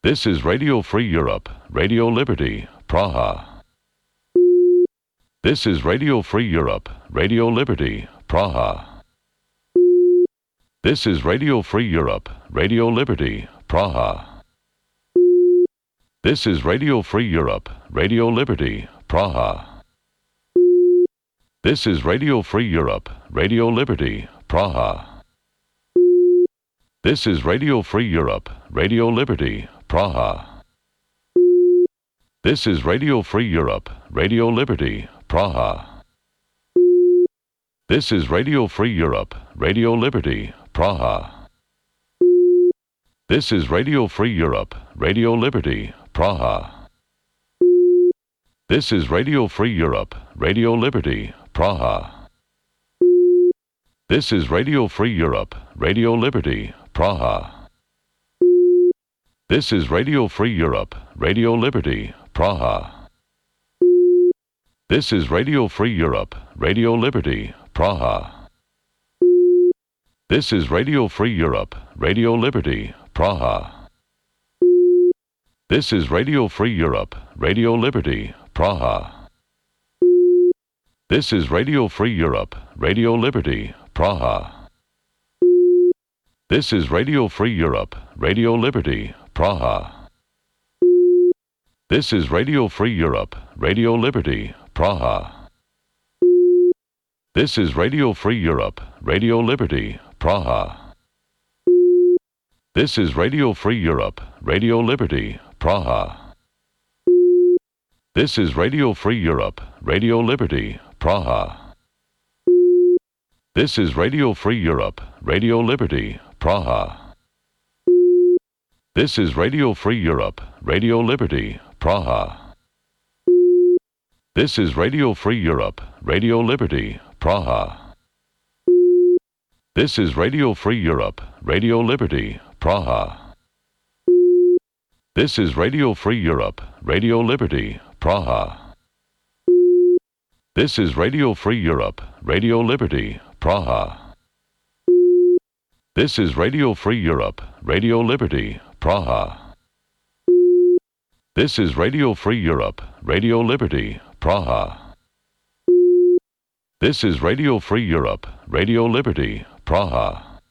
This is Radio Free Europe, Radio Liberty, Praha. This is Radio Free Europe, Radio Liberty, Praha. This is Radio Free Europe, Radio Liberty, Praha. This is Radio Free Europe, Radio Liberty, Praha. This is Radio Free Europe, Radio Liberty, Praha. This is Radio Free Europe, Radio Liberty, Praha. This is Radio Free Europe, Radio Liberty, Praha. This is Radio Free Europe, Radio Liberty, Praha. This is Radio Free Europe, Radio Liberty, Praha. This is Radio Free Europe, Radio Liberty, Praha. This is Radio Free Europe, Radio Liberty, Praha. This is Radio Free Europe, Radio Liberty, Praha. This is Radio Free Europe, Radio Liberty, Praha. This is Radio Free Europe, Radio Liberty, Praha. This is Radio Free Europe, Radio Liberty, Praha. This is Radio Free Europe, Radio Liberty, Praha. This is Radio Free Europe, Radio Liberty, Praha. This is Radio Free Europe, Radio Liberty, Praha. This is Radio Free Europe, Radio Liberty, Praha. This is Radio Free Europe, Radio Liberty, Praha. This is Radio Free Europe, Radio Liberty, Praha. This is Radio Free Europe, Radio Liberty, Praha. This is Radio Free Europe, Radio Liberty, Praha. This is Radio Free Europe, Radio Liberty, Praha. This is Radio Free Europe, Radio Liberty, Praha. This is Radio Free Europe, Radio Liberty, Praha. This is Radio Free Europe, Radio Liberty, Praha. This is Radio Free Europe, Radio Liberty, Praha. This is Radio Free Europe, Radio Liberty, Praha.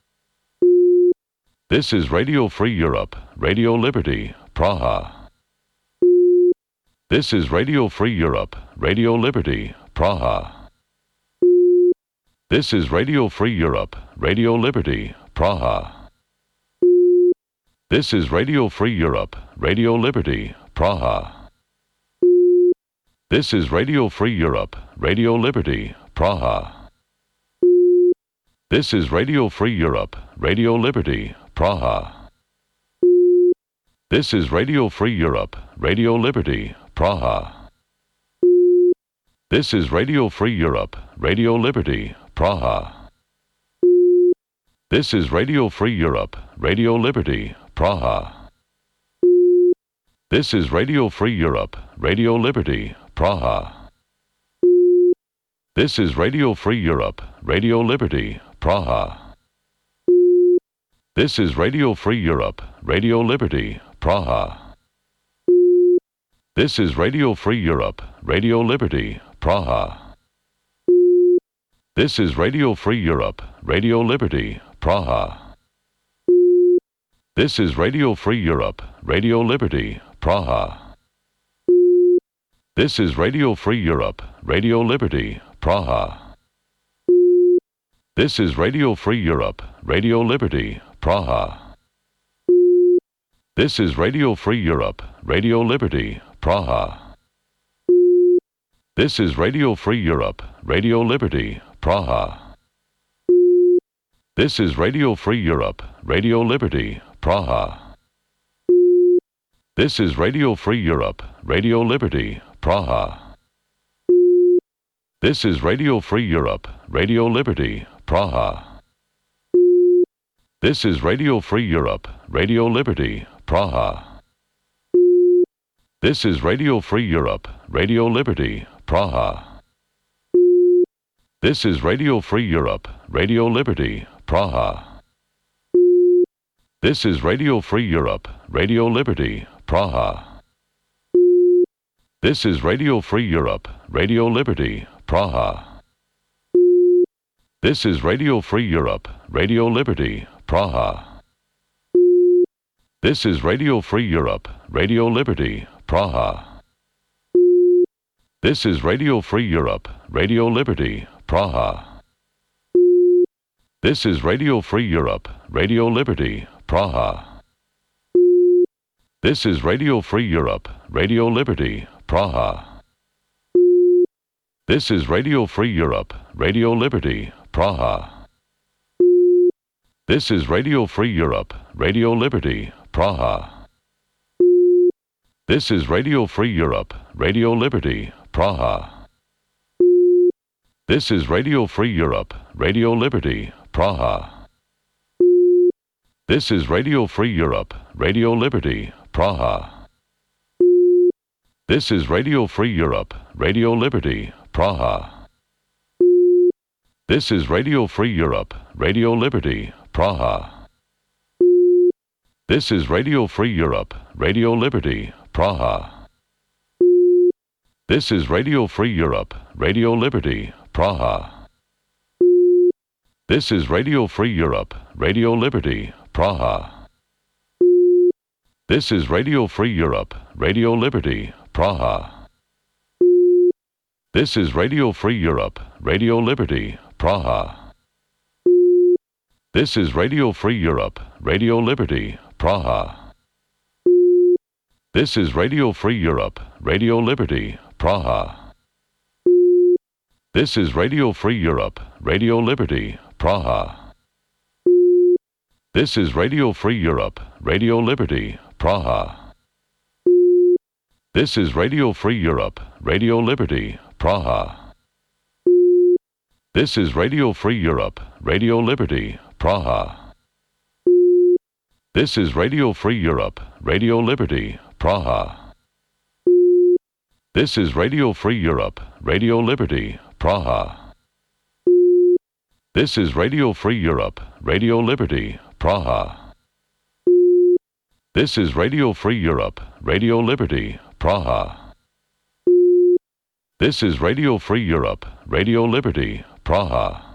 This is Radio Free Europe, Radio Liberty, Praha. This is Radio Free Europe, Radio Liberty, Praha. This is Radio Free Europe, Radio Liberty, Praha. This is Radio Free Europe, Radio Liberty, Praha. This is Radio Free Europe, Radio Liberty, Praha. This is Radio Free Europe, Radio Liberty, Praha. This is Radio Free Europe, Radio Liberty, Praha. This is Radio Free Europe, Radio Liberty, Praha. This is Radio Free Europe, Radio Liberty, Praha. This is Radio Free Europe, Radio Liberty, Praha. This is Radio Free Europe, Radio Liberty, Praha. This is Radio Free Europe, Radio Liberty, Praha. This is Radio Free Europe, Radio Liberty, Praha. This is Radio Free Europe, Radio Liberty, Praha. This is Radio Free Europe, Radio Liberty, Praha. This is Radio Free Europe, Radio Liberty, Praha. This is Radio Free Europe, Radio Liberty, Praha. This is Radio Free Europe, Radio Liberty, Praha. This is Radio Free Europe, Radio Liberty, Praha. This is Radio Free Europe, Radio Liberty, Praha. This is Radio Free Europe, Radio Liberty, Praha. This is Radio Free Europe, Radio Liberty, Praha. This is Radio Free Europe, Radio Liberty, Praha. This is Radio Free Europe, Radio Liberty, Praha. This is Radio Free Europe, Radio Liberty, Praha. This is Radio Free Europe, Radio Liberty, Praha. This is Radio Free Europe, Radio Liberty, Praha. This is Radio Free Europe, Radio Liberty, Praha. This is Radio Free Europe, Radio Liberty, Praha. This is Radio Free Europe, Radio Liberty, Praha. This is Radio Free Europe, Radio Liberty, Praha. This is Radio Free Europe, Radio Liberty, Praha. This is Radio Free Europe, Radio Liberty, Praha. This is Radio Free Europe, Radio Liberty, Praha. This is Radio Free Europe, Radio Liberty, Praha. This is Radio Free Europe, Radio Liberty, Praha. This is Radio Free Europe, Radio Liberty, Praha. This is Radio Free Europe, Radio Liberty, Praha. This is Radio Free Europe, Radio Liberty, Praha. This is Radio Free Europe, Radio Liberty, Praha. This is Radio Free Europe, Radio Liberty, Praha. This is Radio Free Europe, Radio Liberty, Praha. This is Radio Free Europe, Radio Liberty, Praha. This is Radio Free Europe, Radio Liberty, Praha. This is Radio Free Europe, Radio Liberty, Praha. This is Radio Free Europe, Radio Liberty, Praha. This is Radio Free Europe, Radio Liberty, Praha. This is Radio Free Europe, Radio Liberty, Praha. This is Radio Free Europe, Radio Liberty, Praha. This is Radio Free Europe, Radio Liberty, Praha. This is Radio Free Europe, Radio Liberty, Praha. This is Radio Free Europe, Radio Liberty, Praha. This is Radio Free Europe, Radio Liberty, Praha. This is Radio Free Europe, Radio Liberty, Praha. This is Radio Free Europe, Radio Liberty, Praha.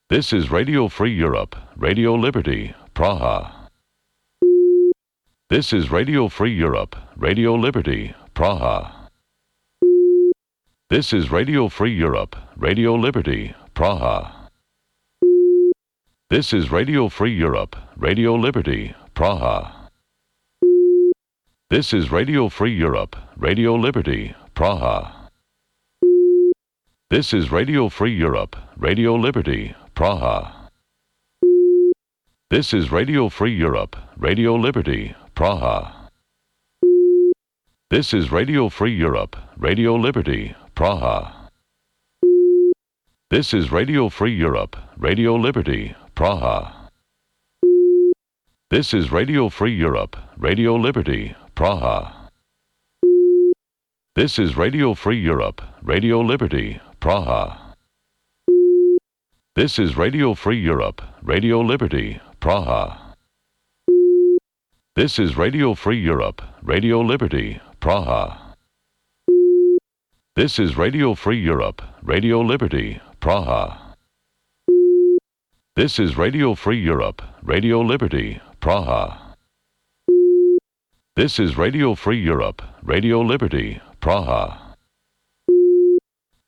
This is Radio Free Europe, Radio Liberty, Praha. This is Radio Free Europe, Radio Liberty, Praha. This is Radio Free Europe, Radio Liberty, Praha. This is Radio Free Europe, Radio Liberty, Praha. This is Radio Free Europe, Radio Liberty, Praha. This is Radio Free Europe, Radio Liberty, Praha. This is Radio Free Europe, Radio Liberty, Praha. This is Radio Free Europe, Radio Liberty, Praha. This is Radio Free Europe, Radio Liberty, Praha. This is Radio Free Europe, Radio Liberty, Praha. This is Radio Free Europe, Radio Liberty, Praha. This is Radio Free Europe, Radio Liberty, Praha. This is Radio Free Europe, Radio Liberty, Praha. This is Radio Free Europe, Radio Liberty, Praha. This is Radio Free Europe, Radio Liberty, Praha. This is Radio Free Europe, Radio Liberty, Praha. This is Radio Free Europe, Radio Liberty, Praha.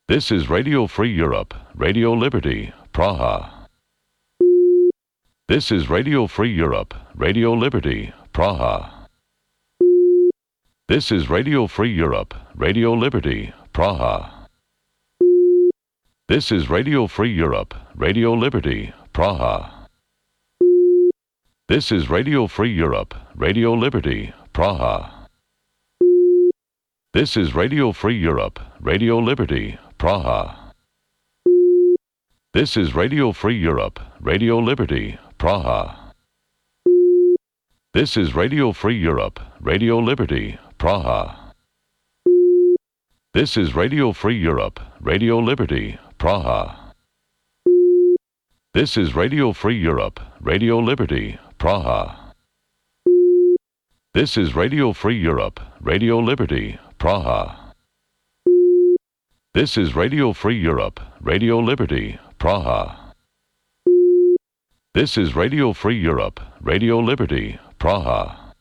This is Radio Free Europe, Radio Liberty, Praha. This is Radio Free Europe, Radio Liberty, Praha. This is Radio Free Europe, Radio Liberty, Praha. This is Radio Free Europe, Radio Liberty, Praha. This is Radio Free Europe, Radio Liberty, Praha. This is Radio Free Europe, Radio Liberty, Praha. This is Radio Free Europe, Radio Liberty, Praha. This is Radio Free Europe, Radio Liberty, Praha. This is Radio Free Europe, Radio Liberty, Praha. This is Radio Free Europe, Radio Liberty, Praha. This is Radio Free Europe, Radio Liberty, Praha. This is Radio Free Europe, Radio Liberty, Praha. This is Radio Free Europe, Radio Liberty, Praha.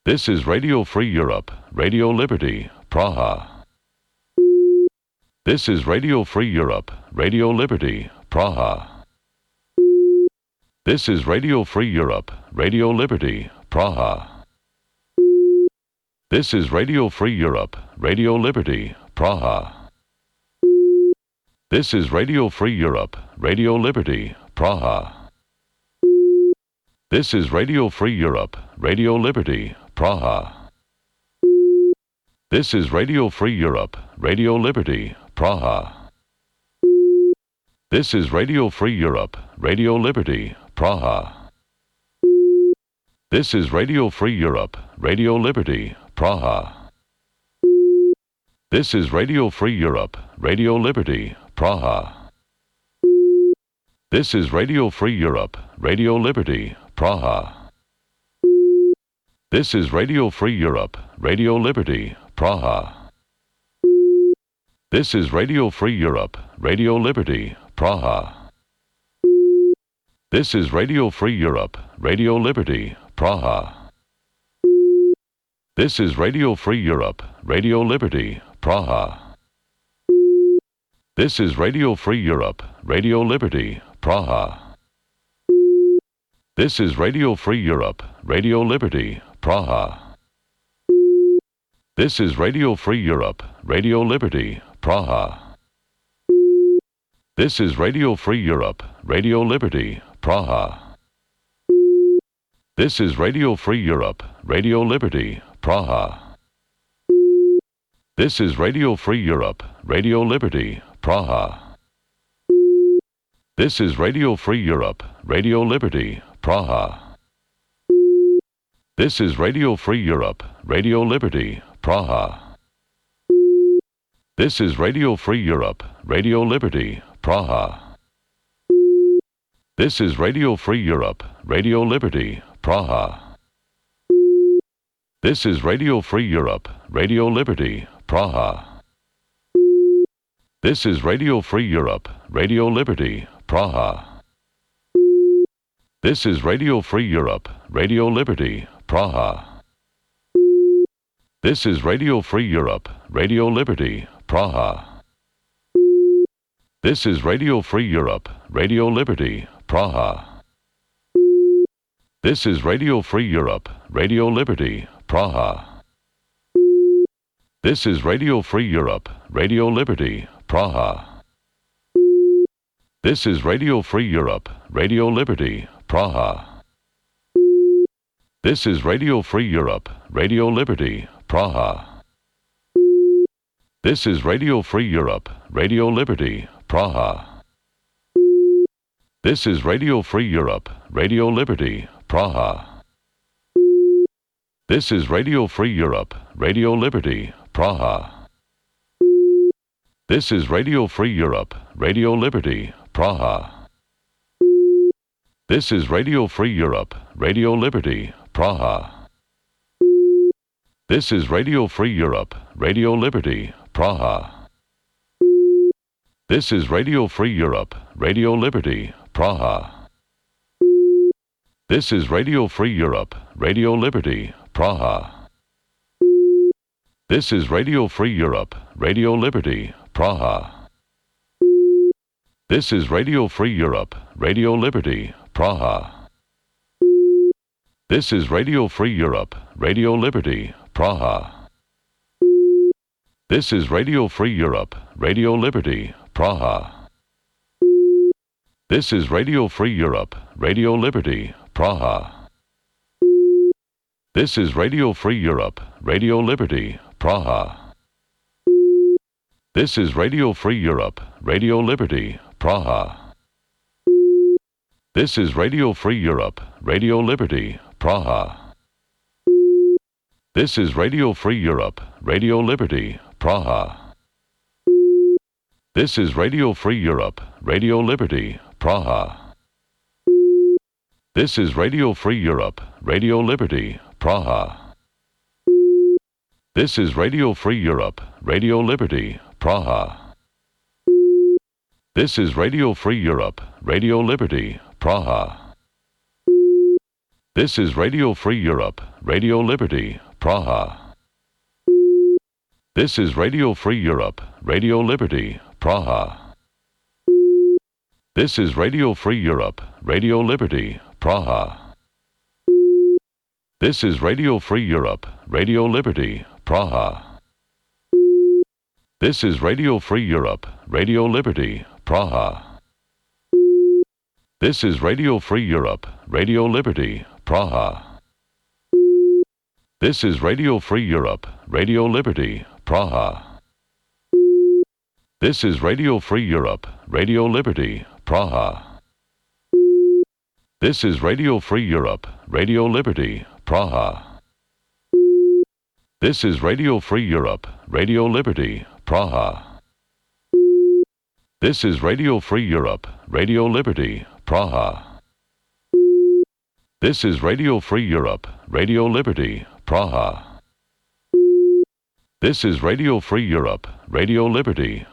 This is Radio Free Europe, Radio Liberty, Praha. This is Radio Free Europe, Radio Liberty, Praha. This is Radio Free Europe, Radio Liberty, Praha. This is Radio Free Europe, Radio Liberty, Praha. This is Radio Free Europe, Radio Liberty, Praha. This is Radio Free Europe, Radio Liberty, Praha. This is Radio Free Europe, Radio Liberty, Praha. This is Radio Free Europe, Radio Liberty, Praha. This is Radio Free Europe, Radio Liberty, Praha. This is Radio Free Europe, Radio Liberty, Praha. This is Radio Free Europe, Radio Liberty, Praha. This is Radio Free Europe, Radio Liberty, Praha. This is Radio Free Europe, Radio Liberty, Praha. This is Radio Free Europe, Radio Liberty, Praha. This is Radio Free Europe, Radio Liberty, Praha. This is Radio Free Europe, Radio Liberty, Praha. This is Radio Free Europe, Radio Liberty, Praha. This is Radio Free Europe, Radio Liberty, Praha. This is Radio Free Europe, Radio Liberty, Praha. This is Radio Free Europe, Radio Liberty, Praha. This is Radio Free Europe, Radio Liberty, Praha. This is Radio Free Europe, Radio Liberty, Praha. This is Radio Free Europe, Radio Liberty, Praha. This is Radio Free Europe, Radio Liberty, Praha. This is Radio Free Europe, Radio Liberty, Praha. This is Radio Free Europe, Radio Liberty, Praha. This is Radio Free Europe, Radio Liberty, Praha. This is Radio Free Europe, Radio Liberty, Praha. This is Radio Free Europe, Radio Liberty, Praha. This is Radio Free Europe, Radio Liberty, Praha. This is Radio Free Europe, Radio Liberty, Praha. This is Radio Free Europe, Radio Liberty, Praha. This is Radio Free Europe, Radio Liberty, Praha. This is Radio Free Europe, Radio Liberty, Praha. This is Radio Free Europe, Radio Liberty, Praha. This is Radio Free Europe, Radio Liberty, Praha. This is Radio Free Europe, Radio Liberty, Praha. This is Radio Free Europe, Radio Liberty, Praha. This is Radio Free Europe, Radio Liberty, Praha. This is Radio Free Europe, Radio Liberty, Praha. This is Radio Free Europe, Radio Liberty, Praha. This is Radio Free Europe, Radio Liberty, Praha. This is Radio Free Europe, Radio Liberty, Praha. This is Radio Free Europe, Radio Liberty, Praha. This is Radio Free Europe, Radio Liberty, Praha. This is Radio Free Europe, Radio Liberty, Praha. This is Radio Free Europe, Radio Liberty, Praha. This is Radio Free Europe, Radio Liberty, Praha. This is Radio Free Europe, Radio Liberty, Praha. This is Radio Free Europe, Radio Liberty, Praha. This is Radio Free Europe, Radio Liberty, Praha. This is Radio Free Europe, Radio Liberty, Praha. This is Radio Free Europe, Radio Liberty, Praha. This is Radio Free Europe, Radio Liberty, Praha. This is Radio Free Europe, Radio Liberty, Praha. This is Radio Free Europe, Radio Liberty, Praha. This is Radio Free Europe, Radio Liberty, Praha. This is Radio Free Europe, Radio Liberty, Praha. This is Radio Free Europe, Radio Liberty, Praha. This is Radio Free Europe, Radio Liberty, Praha. This is Radio Free Europe, Radio Liberty, Praha. This is Radio Free Europe, Radio Liberty, Praha. This is Radio Free Europe, Radio Liberty, Praha. This is Radio Free Europe, Radio Liberty, Praha. This is Radio Free Europe, Radio Liberty, Praha. This is Radio Free Europe, Radio Liberty, Praha. This is Radio Free Europe, Radio Liberty, Praha. This is Radio Free Europe, Radio Liberty,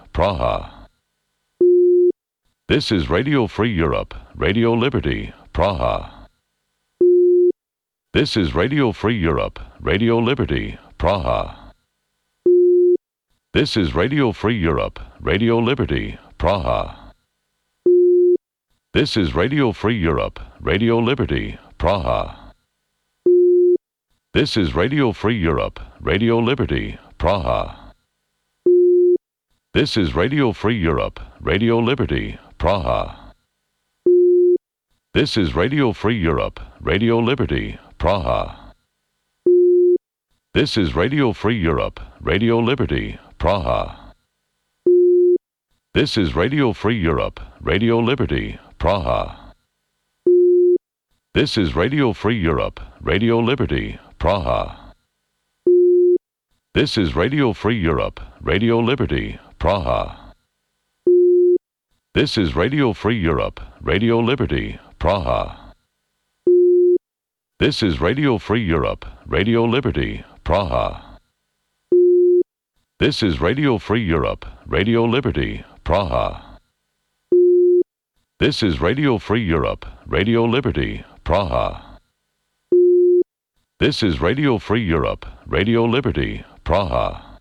Praha. This is Radio Free Europe, Radio Liberty, Praha. This is Radio Free Europe, Radio Liberty, Praha. This is Radio Free Europe, Radio Liberty, Praha. This is Radio Free Europe, Radio Liberty, Praha. This is Radio Free Europe, Radio Liberty, Praha. This is Radio Free Europe, Radio Liberty, Praha. This is Radio Free Europe, Radio Liberty, Praha. This is Radio Free Europe, Radio Liberty, Praha. This is Radio Free Europe, Radio Liberty, Praha. This is Radio Free Europe, Radio Liberty, Praha. This is Radio Free Europe, Radio Liberty, Praha. This is Radio Free Europe, Radio Liberty, Praha. This is Radio Free Europe, Radio Liberty, Praha. This is Radio Free Europe, Radio Liberty, Praha. This is Radio Free Europe, Radio Liberty, Praha. This is Radio Free Europe, Radio Liberty, Praha.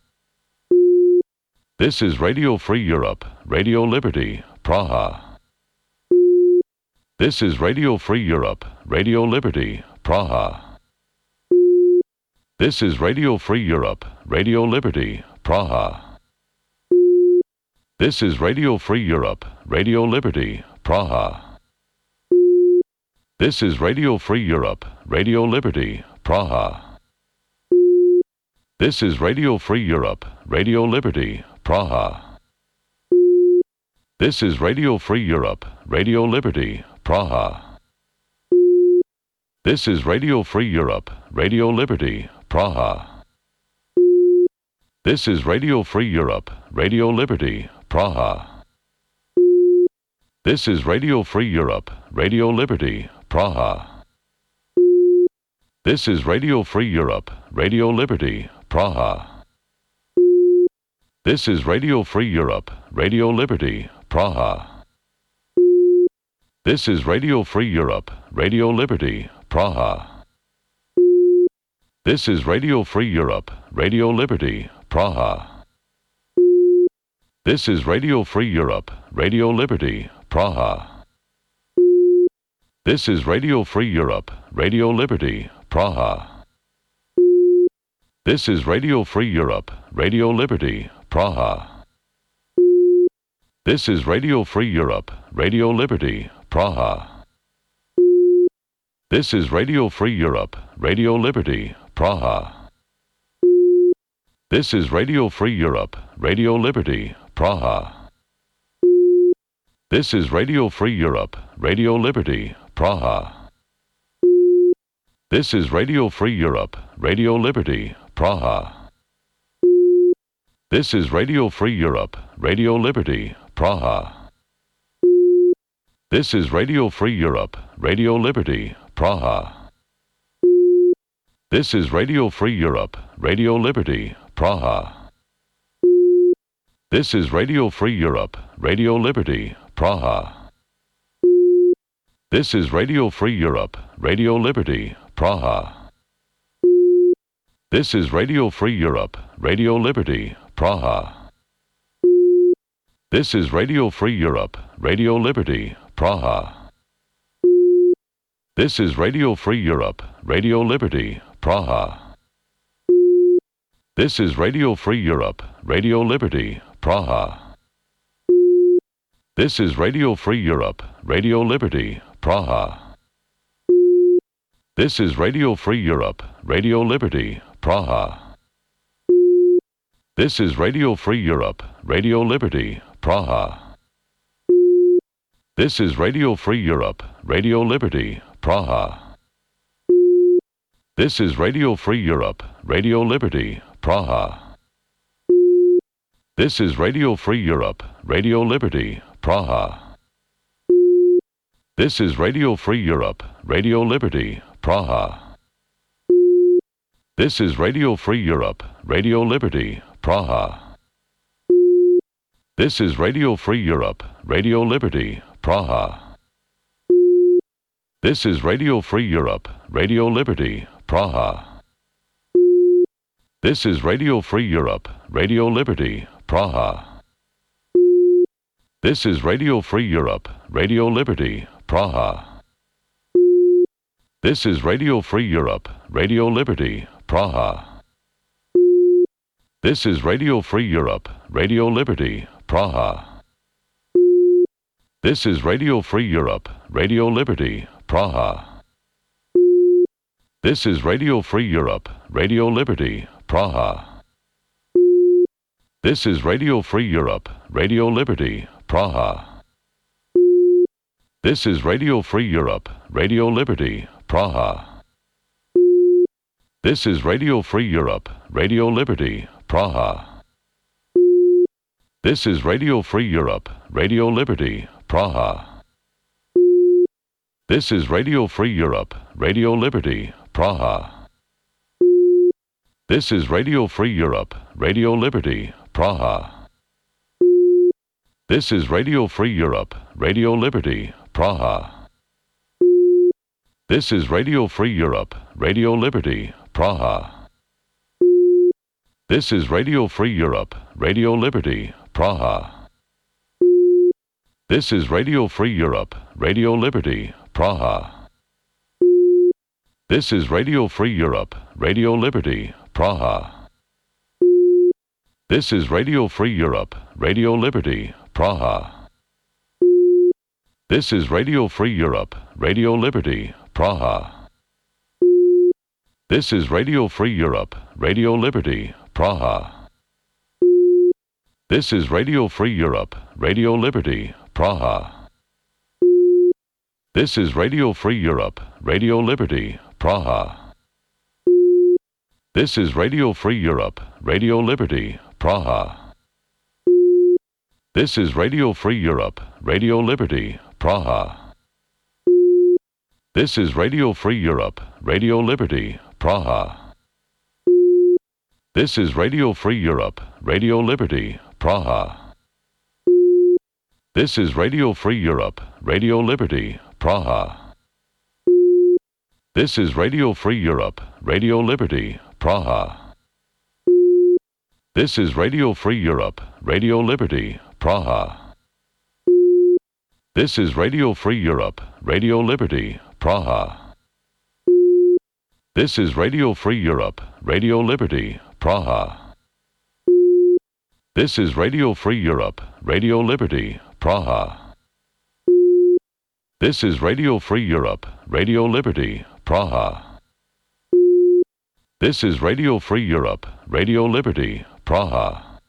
This is Radio Free Europe, Radio Liberty, Praha. This is Radio Free Europe, Radio Liberty, Praha. This is Radio Free Europe, Radio Liberty, Praha. This is Radio Free Europe, Radio Liberty, Praha. This is Radio Free Europe, Radio Liberty, Praha. This is Radio Free Europe, Radio Liberty, Praha. This is Radio Free Europe, Radio Liberty, Praha. This is Radio Free Europe, Radio Liberty, Praha. This is Radio Free Europe, Radio Liberty, Praha. This is Radio Free Europe, Radio Liberty, Praha. This is Radio Free Europe, Radio Liberty, Praha. This is Radio Free Europe, Radio Liberty, Praha. This is Radio Free Europe, Radio Liberty, Praha. This is Radio Free Europe, Radio Liberty, Praha. This is Radio Free Europe, Radio Liberty, Praha. This is Radio Free Europe, Radio Liberty, Praha. This is Radio Free Europe, Radio Liberty, Praha. This is Radio Free Europe, Radio Liberty, Praha. This is Radio Free Europe, Radio Liberty, Praha. This is Radio Free Europe, Radio Liberty, Praha. This is Radio Free Europe, Radio Liberty, Praha. This is Radio Free Europe, Radio Liberty, Praha. This is Radio Free Europe, Radio Liberty, Praha. This is Radio Free Europe, Radio Liberty, Praha. This is Radio Free Europe, Radio Liberty, Praha. This is Radio Free Europe, Radio Liberty, Praha. This is Radio Free Europe, Radio Liberty, Praha. This is Radio Free Europe, Radio Liberty, Praha. This is Radio Free Europe, Radio Liberty, Praha. This is Radio Free Europe, Radio Liberty, Praha. This is Radio Free Europe, Radio Liberty, Praha. This is Radio Free Europe, Radio Liberty, Praha. This is Radio Free Europe, Radio Liberty, Praha. This is Radio Free Europe, Radio Liberty, Praha. This is Radio Free Europe, Radio Liberty, Praha. This is Radio Free Europe, Radio Liberty, Praha. This is Radio Free Europe, Radio Liberty, Praha. This is Radio Free Europe, Radio Liberty, Praha. This is Radio Free Europe, Radio Liberty, Praha. This is Radio Free Europe, Radio Liberty, Praha. This is Radio Free Europe, Radio Liberty, Praha. This is Radio Free Europe, Radio Liberty, Praha. This is Radio Free Europe, Radio Liberty, Praha. This is Radio Free Europe, Radio Liberty, Praha. This is Radio Free Europe, Radio Liberty, Praha. This is Radio Free Europe, Radio Liberty, Praha. This is Radio Free Europe, Radio Liberty, Praha. This is Radio Free Europe, Radio Liberty, Praha. This is Radio Free Europe, Radio Liberty, Praha. This is Radio Free Europe, Radio Liberty, Praha. This is Radio Free Europe, Radio Liberty, Praha. This is Radio Free Europe, Radio Liberty, Praha. This is Radio Free Europe, Radio Liberty, Praha. This is Radio Free Europe, Radio Liberty, Praha. This is Radio Free Europe, Radio Liberty, Praha. This is Radio Free Europe, Radio Liberty, Praha. This is Radio Free Europe, Radio Liberty, Praha. This is Radio Free Europe, Radio Liberty, Praha. This is Radio Free Europe, Radio Liberty, Praha. This is Radio Free Europe, Radio Liberty, Praha. This is Radio Free Europe, Radio Liberty, Praha. This is Radio Free Europe, Radio Liberty, Praha. This is Radio Free Europe, Radio Liberty, Praha. This is Radio Free Europe, Radio Liberty, Praha. This is Radio Free Europe, Radio Liberty, Praha. This is Radio Free Europe, Radio Liberty, Praha. This is Radio Free Europe, Radio Liberty, Praha. This is Radio Free Europe, Radio Liberty, Praha. This is Radio Free Europe, Radio Liberty, Praha. This is Radio Free Europe, Radio Liberty, Praha. This is Radio Free Europe, Radio Liberty, Praha. This is Radio Free Europe, Radio Liberty, Praha. This is Radio Free Europe, Radio Liberty, Praha. This is Radio Free Europe, Radio Liberty, Praha. This is Radio Free Europe, Radio Liberty, Praha.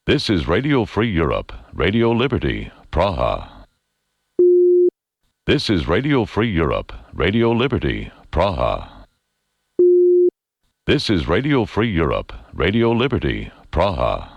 This is Radio Free Europe, Radio Liberty, Praha. This is Radio Free Europe, Radio Liberty, Praha. This is Radio Free Europe, Radio Liberty, Praha.